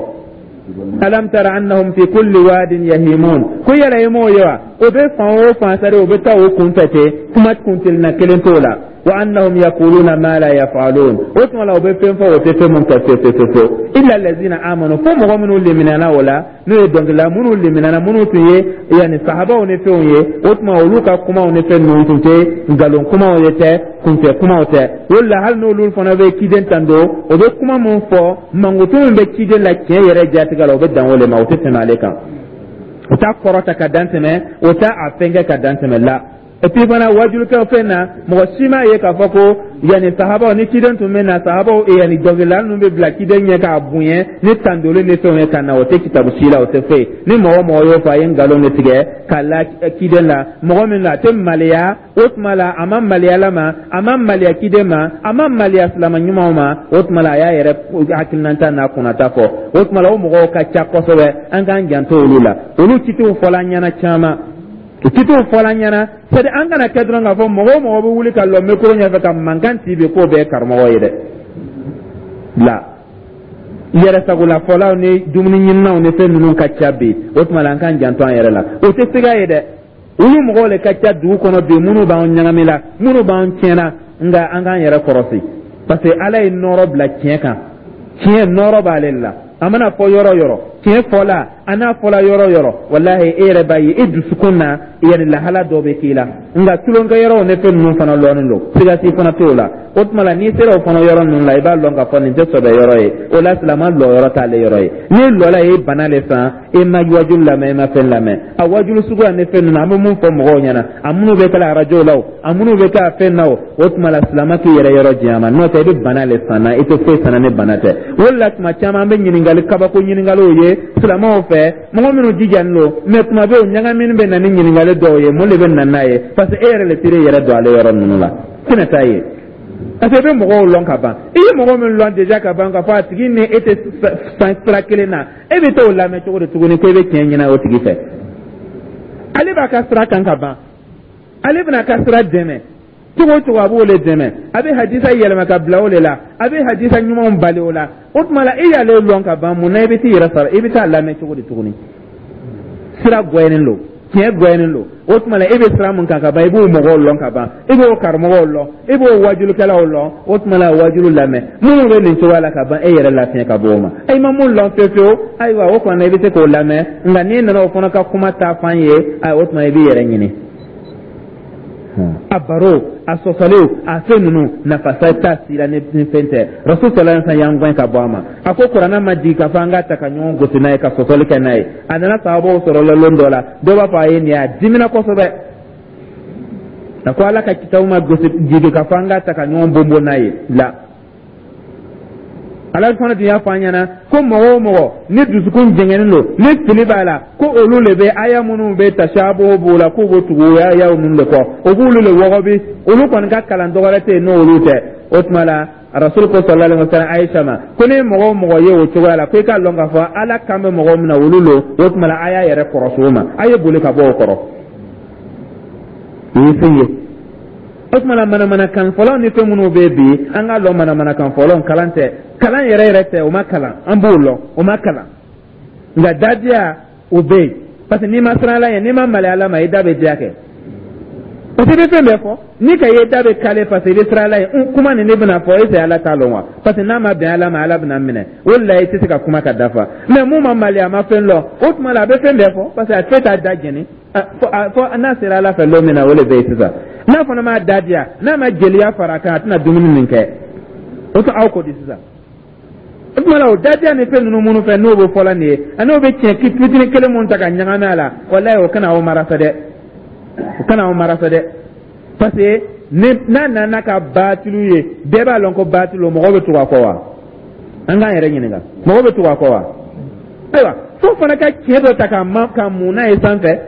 Alam tara annahum fi kulli wadin yahimun. Ko yala i m'o ye wa? O bɛ fan o fan sari, o bɛ taa o kun fɛ ten, kuma kuntilenna kelen t'o la. Wa annahum yaquluna ma la yaf'alun. O tuma la, o bɛ fɛn fɔ, o tɛ fɛn mun kɛ fewu fewu fewu. Illa allazina amanu, fo mɔgɔ minnu liminɛna o la, n'o ye dɔnkilila minnu liminɛna, minnu tun ye yanni sahabaw ni fɛnw ye. O tuma, olu ka kumaw ni fɛn ninnu tun tɛ nkalon kumaw ye tɛ, kunfɛ kumaw tɛ. O la, hali n'olu fana bɛ ciden tando, o bɛ kuma min fɔ, mankutu min bɛ ciden la tiɲɛ yɛrɛ jatigɛ la, o bɛ dan o le ma, o tɛ tɛmɛ ale kan, o t'a kɔrɔta ka dan tɛmɛ, o t'a a fɛnkɛ ka dan tɛmɛ la. Et puis fana, wajulikɛ fɛn na, mɔgɔ si m'a ye k'a fɔ ko yanni sahabaw ni ciden tun bɛ na, sahabaw yanni dɔnkilidala ninnu bɛ bila ciden ɲɛ k'a bonya ni tandoli ni fɛnw ye ka na. O tɛ kitabu si la, o tɛ foyi. Ni mɔgɔ o mɔgɔ y'o fɔ, a ye nkalon de tigɛ ka la ciden la. Mɔgɔ min don, a tɛ maloya. O tuma la, a ma maloya Ala ma, a ma maloya ciden ma, a ma maloya silama ɲumanw ma. O tuma la, a y'a yɛrɛ hakilinata n'a kunnata fɔ. O tuma la, o mɔgɔw ka ca kosɛbɛ, an k'an janto olu la. Olu citiw fɔla an ɲɛna caman, o citiw fɔla an ɲɛna. C'est à dire, an kana kɛ dɔrɔn k'a fɔ mɔgɔ o mɔgɔ bɛ wuli ka lɔ micro ɲɛfɛ ka mankan ci bi, k'o bɛɛ ye karamɔgɔ ye dɛ. La yɛrɛsagolafɔlaw ni dumuni ɲininaw ni fɛn ninnu ka ca bi. O tuma la, an k'an janto an yɛrɛ la. O tɛ siga ye dɛ, olu mɔgɔw le ka ca dugu kɔnɔ bi, minnu b'an ɲagami la, minnu b'an tiɲɛna. Nka an k'an yɛrɛ kɔrɔsi, parce que Ala ye nɔɔrɔ bila tiɲɛ kan. Tiɲɛ nɔɔrɔ b'ale la. A mana fɔ yɔrɔ yɔrɔ, tiɲɛ fɔla a n'a fɔla yɔrɔ yɔrɔ, walahi, e yɛrɛ b'a ye e dusukun na, yɛrɛ lahala dɔ bɛ k'i la. Nka tulonkɛ yɔrɔw ni fɛn ninnu fana lɔnnen don, siga si fana t'o la. O tuma la, n'i sera o fana yɔrɔ ninnu la, i b'a lɔn k'a fɔ nin tɛ sɔbɛ yɔrɔ ye. O la, silama lɔ yɔrɔ t'ale yɔrɔ ye. N'i lɔla, i ye bana le san. E ma wajulu lamɛn, e ma fɛn lamɛn. A wajulu suguya ni fɛn ninnu, an bɛ mun fɔ mɔgɔw ɲɛna, a minnu bɛ kɛ arajo la o, a minnu bɛ kɛ a fɛn na o, o tuma la, silama k'i yɛrɛ yɔrɔ janya ma. N'o tɛ, i bɛ bana le san na, i tɛ foyi san ni bana tɛ. O de la, tuma caman, an bɛ ɲininkali kabako ɲininkaliw ye silamɛw fɛ, mɔgɔ minnu jijalen don. Mais tuma bɛɛ, o ɲagamini bɛ na ni ɲininkali dɔw ye. Mun de bɛ na n'a ye? Parce que e yɛrɛ le sera i yɛrɛ don ale yɔrɔ ninnu la, tɛna taa ye, parce que i bɛ mɔgɔw lɔn ka ban. I ye mɔgɔ min lɔn déjà ka ban, k'a fɔ a tigi ni e tɛ san sira kelen na, e bɛ t'o lamɛn cogo di tuguni ko i bɛ tiɲɛ ɲini o tigi fɛ? Ale b'a ka sira kan ka ban, ale bɛna a ka sira dɛmɛ cogo o cogo, a b'o le dɛmɛ. A bɛ hadisa yɛlɛma ka bila o de la, a bɛ hadisa ɲumanw bali o la. O tuma la, e y'ale lɔn ka ban, mun na i bɛ t'i yɛrɛ sara, i bɛ taa lamɛn cogo di tuguni? Sira gɛlɛnnen don, tiɲɛ gɛlɛnnen don. O tuma la, e bɛ sira mun kan ka ban, i b'o mɔgɔw lɔn ka ban, i b'o karamɔgɔw lɔn, i b'o wajulikɛlaw lɔn. O tuma la, wajulu lamɛn minnu bɛ nin cogoya la ka ban, e yɛrɛ lafiɲɛ ka bɔ o ma. E ma mun lɔn fewu fewu, ayiwa, o kɔni, i bɛ se k'o lamɛn. Nka n'i nana o fana ka kuma ta fan ye, ayiwa, o tuma i b'i yɛrɛ ɲini. A baro, a sɔsɔliw, a fɛn ninnu, nafa t'a si la ni fɛn tɛ. Rasul sallallahu alaihi wasallam y'an gɛn ka bɔ a ma. A ko kuranɛ ma jigin k'a fɔ an k'a ta ka ɲɔgɔn gosi n'a ye, ka sɔsɔli kɛ n'a ye. A nana sahabaw sɔrɔ la lon dɔ la, dɔw b'a fɔ a ye nin ye, a dimina kosɛbɛ. A ko Ala ka kitabu ma gosi jigin k'a fɔ an k'a ta ka ɲɔgɔn bonbon n'a ye la. Ala fana tun y'a fɔ an ɲɛna ko mɔgɔ o mɔgɔ ni dusukun jɛngɛnnen don, ni fili b'a la, ko olu de bɛ aya minnu bɛ tashabuhu b'o la, k'u b'o tugu aya ninnu de kɔ, o b'olu de wɔgɔbi. Olu kɔni ka kalan dɔwɛrɛ tɛ yen n'olu tɛ. O tuma la, Rasul ko sallallahu alaihi wasallam Aisha ma ko ni mɔgɔ o mɔgɔ ye o cogoya la, ko i k'a lɔn k'a fɔ Ala kan bɛ mɔgɔ min na, olu lo. O tuma la, a y'a yɛrɛ kɔrɔsi o ma, a ye boli ka bɔ o kɔrɔ. O ye fɛn ye. O tuma la, manamanakan fɔlɔ ni fɛn minnu bɛ bi, an k'a lɔn, manamanakan fɔlɔ kalan tɛ, kalan yɛrɛ yɛrɛ tɛ. O ma kalan, an b'o lɔn, o ma kalan. Nka dadiya o bɛ yen, parce que n'i ma siran Ala ɲɛ, n'i ma maloya Ala ma, i da bɛ diya kɛ, parce que i bɛ fɛn bɛɛ fɔ. Ni ka ye da bɛ kale, parce que i bɛ siran Ala ɲɛ. Kuma nin ne bɛna fɔ, est-ce Ala t'a lɔn wa? Parce que n'a ma bɛn Ala ma, Ala bɛna minɛ. O de la, i tɛ se ka kuma ka dafa. Mais mun ma maloya, a ma fɛn lɔn, o tuma la, a bɛ fɛn bɛɛ fɔ, parce que a fɛn t'a da jɛni fɔ n'a sera Ala fɛ lon min na. O de bɛ yen sisan. N'a fana m'a da diya, n'a ma jeliya fara a kan, a tɛna dumuni min kɛ, o tɛ aw ko di sisan. O tuma la, o dadiya ni fɛn ninnu minnu fɛ, n'o bɛ fɔla nin ye, ani o bɛ tiɲɛ fitinin kelen mun ta ka ɲagami a la, walayi, o kana aw mara fɛ dɛ, o kana aw mara fɛ dɛ. Parce que n'a nana ka baatilu ye, bɛɛ b'a lɔn ko baatilu, mɔgɔw bɛ tugu a kɔ wa? An k'an yɛrɛ ɲininka, mɔgɔw bɛ tugu a kɔ wa? Ayiwa, fo fana ka tiɲɛ dɔ ta ka ma ka mun n'a ye sanfɛ.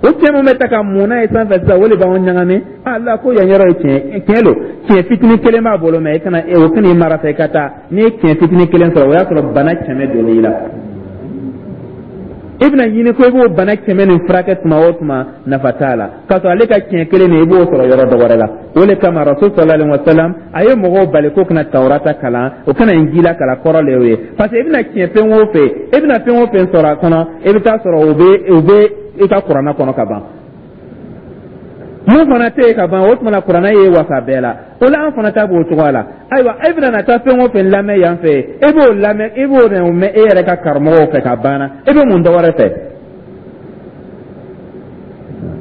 O tiɲɛ mun bɛ ta ka mun n'a ye sanfɛ sisan, o de b'anw ɲagami. Ala ko yan yɔrɔ ye tiɲɛ, tiɲɛ don, tiɲɛ fitinin kelen b'a bolo, mɛ i kana o kana i mara fɛ i ka taa. N'i ye tiɲɛ fitinin kelen sɔrɔ, o y'a sɔrɔ bana 100 donn'i la. I bɛna ɲini ko i b'o bana 100 nin furakɛ tuma o tuma, nafa t'a la, k'a sɔrɔ ale ka tiɲɛ kelen nin, i b'o sɔrɔ yɔrɔ dɔ wɛrɛ la. O de kama, Rasul sallallahu alaihi wa sallam a ye mɔgɔw bali ko kana Tawurata kalan, o kana Injila kalan. Kɔrɔ le y'o ye, parce que i bɛna tiɲɛ fɛn o fɛn, i bɛna fɛn o fɛn sɔrɔ a kɔnɔ, i bɛ taa sɔrɔ o bɛ i ka kuranɛ kɔnɔ ka ban. Mun fana tɛ yen ka ban, o tuma na, kuranɛ ye wasa bɛɛ la. O la, an fana ta b'o cogoya la. Ayiwa, e bɛna na taa fɛn o fɛn lamɛn yan fɛ, e b'o lamɛn, e b'o mɛn e yɛrɛ ka karamɔgɔw fɛ ka banna, e bɛ mun dɔ wɛrɛ fɛ?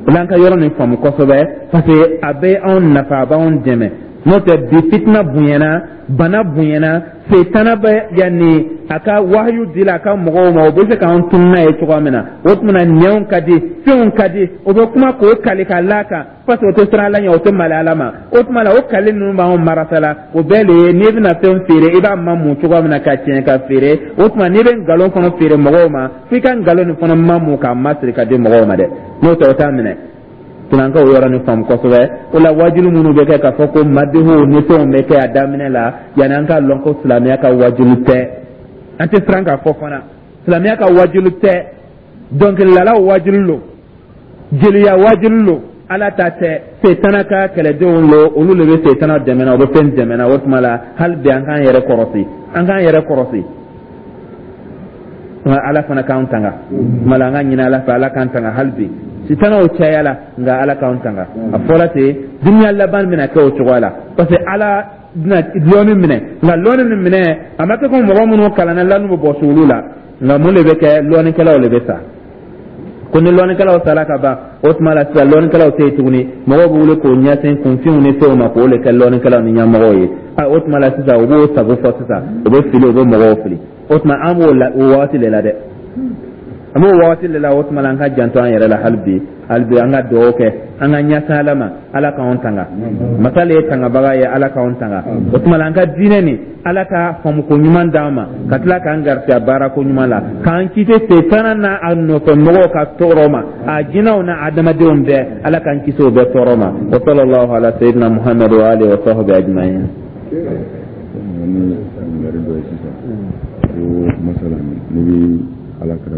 O la, an ka yɔrɔ nin faamu kosɛbɛ, parce que a bɛ anw nafa, a b'anw dɛmɛ. N'o tɛ, bi fitina bonyana, bana bonyana, setana bɛ yanni a ka wahayu dila a ka mɔgɔw ma, o bɛ se k'an tunu n'a ye cogoya min na. O tuma na, nɛnw ka di, fɛnw ka di, o bɛ kuma k'o kali ka l'a kan, parce que o tɛ siran Ala ɲɛ, o tɛ mali Ala ma. O tuma na, o kali ninnu b'anw marasa la. O bɛɛ de ye n'i bɛna fɛn feere, i b'a mamu cogoya min na ka tiɲɛ ka feere. O tuma, n'i bɛ nkalon fana feere mɔgɔw ma, f'i ka nkalon nin fana mamu k'a masiri ka di mɔgɔw ma dɛ. N'o tɛ, o t'a minɛ. Tuma an ka o yɔrɔ nin faamu kosɛbɛ. O la, wajulu minnu bɛ kɛ k'a fɔ ko madihu ni fɛnw bɛ kɛ a daminɛ la, yanni an k'a lɔn ko silamɛya ka wajulu tɛ, an tɛ siran k'a fɔ fana, silamɛya ka wajulu tɛ. Dɔnkilidalaw wajulu lo, jeliya wajulu lo, Ala ta tɛ. Setana ka kɛlɛdenw lo, olu de bɛ setana dɛmɛ na, o bɛ fɛn dɛmɛ na. O tuma la, hali bi an k'an yɛrɛ kɔrɔsi, an k'an yɛrɛ kɔrɔsi. Ala fana k'an tanga. Tuma la, an ka ɲini Ala fɛ, Ala k'an tanga. Hali bi sitanaw cayala, nka Ala k'an tanga. A fɔra ten, dunuya laban bɛna kɛ o cogoya la, parce que Ala bɛna lɔnni minɛ. Nka lɔnni min minɛ, a ma kɛ ko mɔgɔ minnu kalanna lɔnni bɛ bɔsi olu la. Nka mun de bɛ kɛ? Lɔnnikɛlaw de bɛ sa. Ko ni lɔnnikɛlaw sara ka ban, o tuma la sisan lɔnnikɛlaw tɛ yen tuguni. Mɔgɔw bɛ wuli k'o ɲɛsin kunfinw ni fɛnw ma, k'o de kɛ lɔnnikɛlaw ni ɲɛmɔgɔw ye. O tuma la sisan, u b'o sago fɔ sisan, u bɛ fili, u bɛ mɔgɔw fili. O tuma, an b'o la, o wagati de la dɛ, an b'o wagati de la. O tuma la, an ka janto an yɛrɛ la hali bi. Hali bi, an ka dugawu kɛ, an ka ɲɛsin Ala ma, Ala k'anw tanga. Masa le ye tangabaga ye, Ala k'anw tanga. O tuma la, an ka diinɛ nin, Ala ka faamuko ɲuman d'an ma, ka tila k'an garisigɛ baarako ɲuman la, k'an kisi setana n'a a nɔfɛ mɔgɔw ka tɔɔrɔ ma, a jinɛw n'a adamadenw bɛɛ, Ala k'an kisi o bɛɛ tɔɔrɔ ma. Wa sallallahu ala sayyidina Muhammad wa alihi wa sahbihi ajma'in. Ni ɲininkali dɔ ye sisan ko masalan, n'i bɛ Ala kira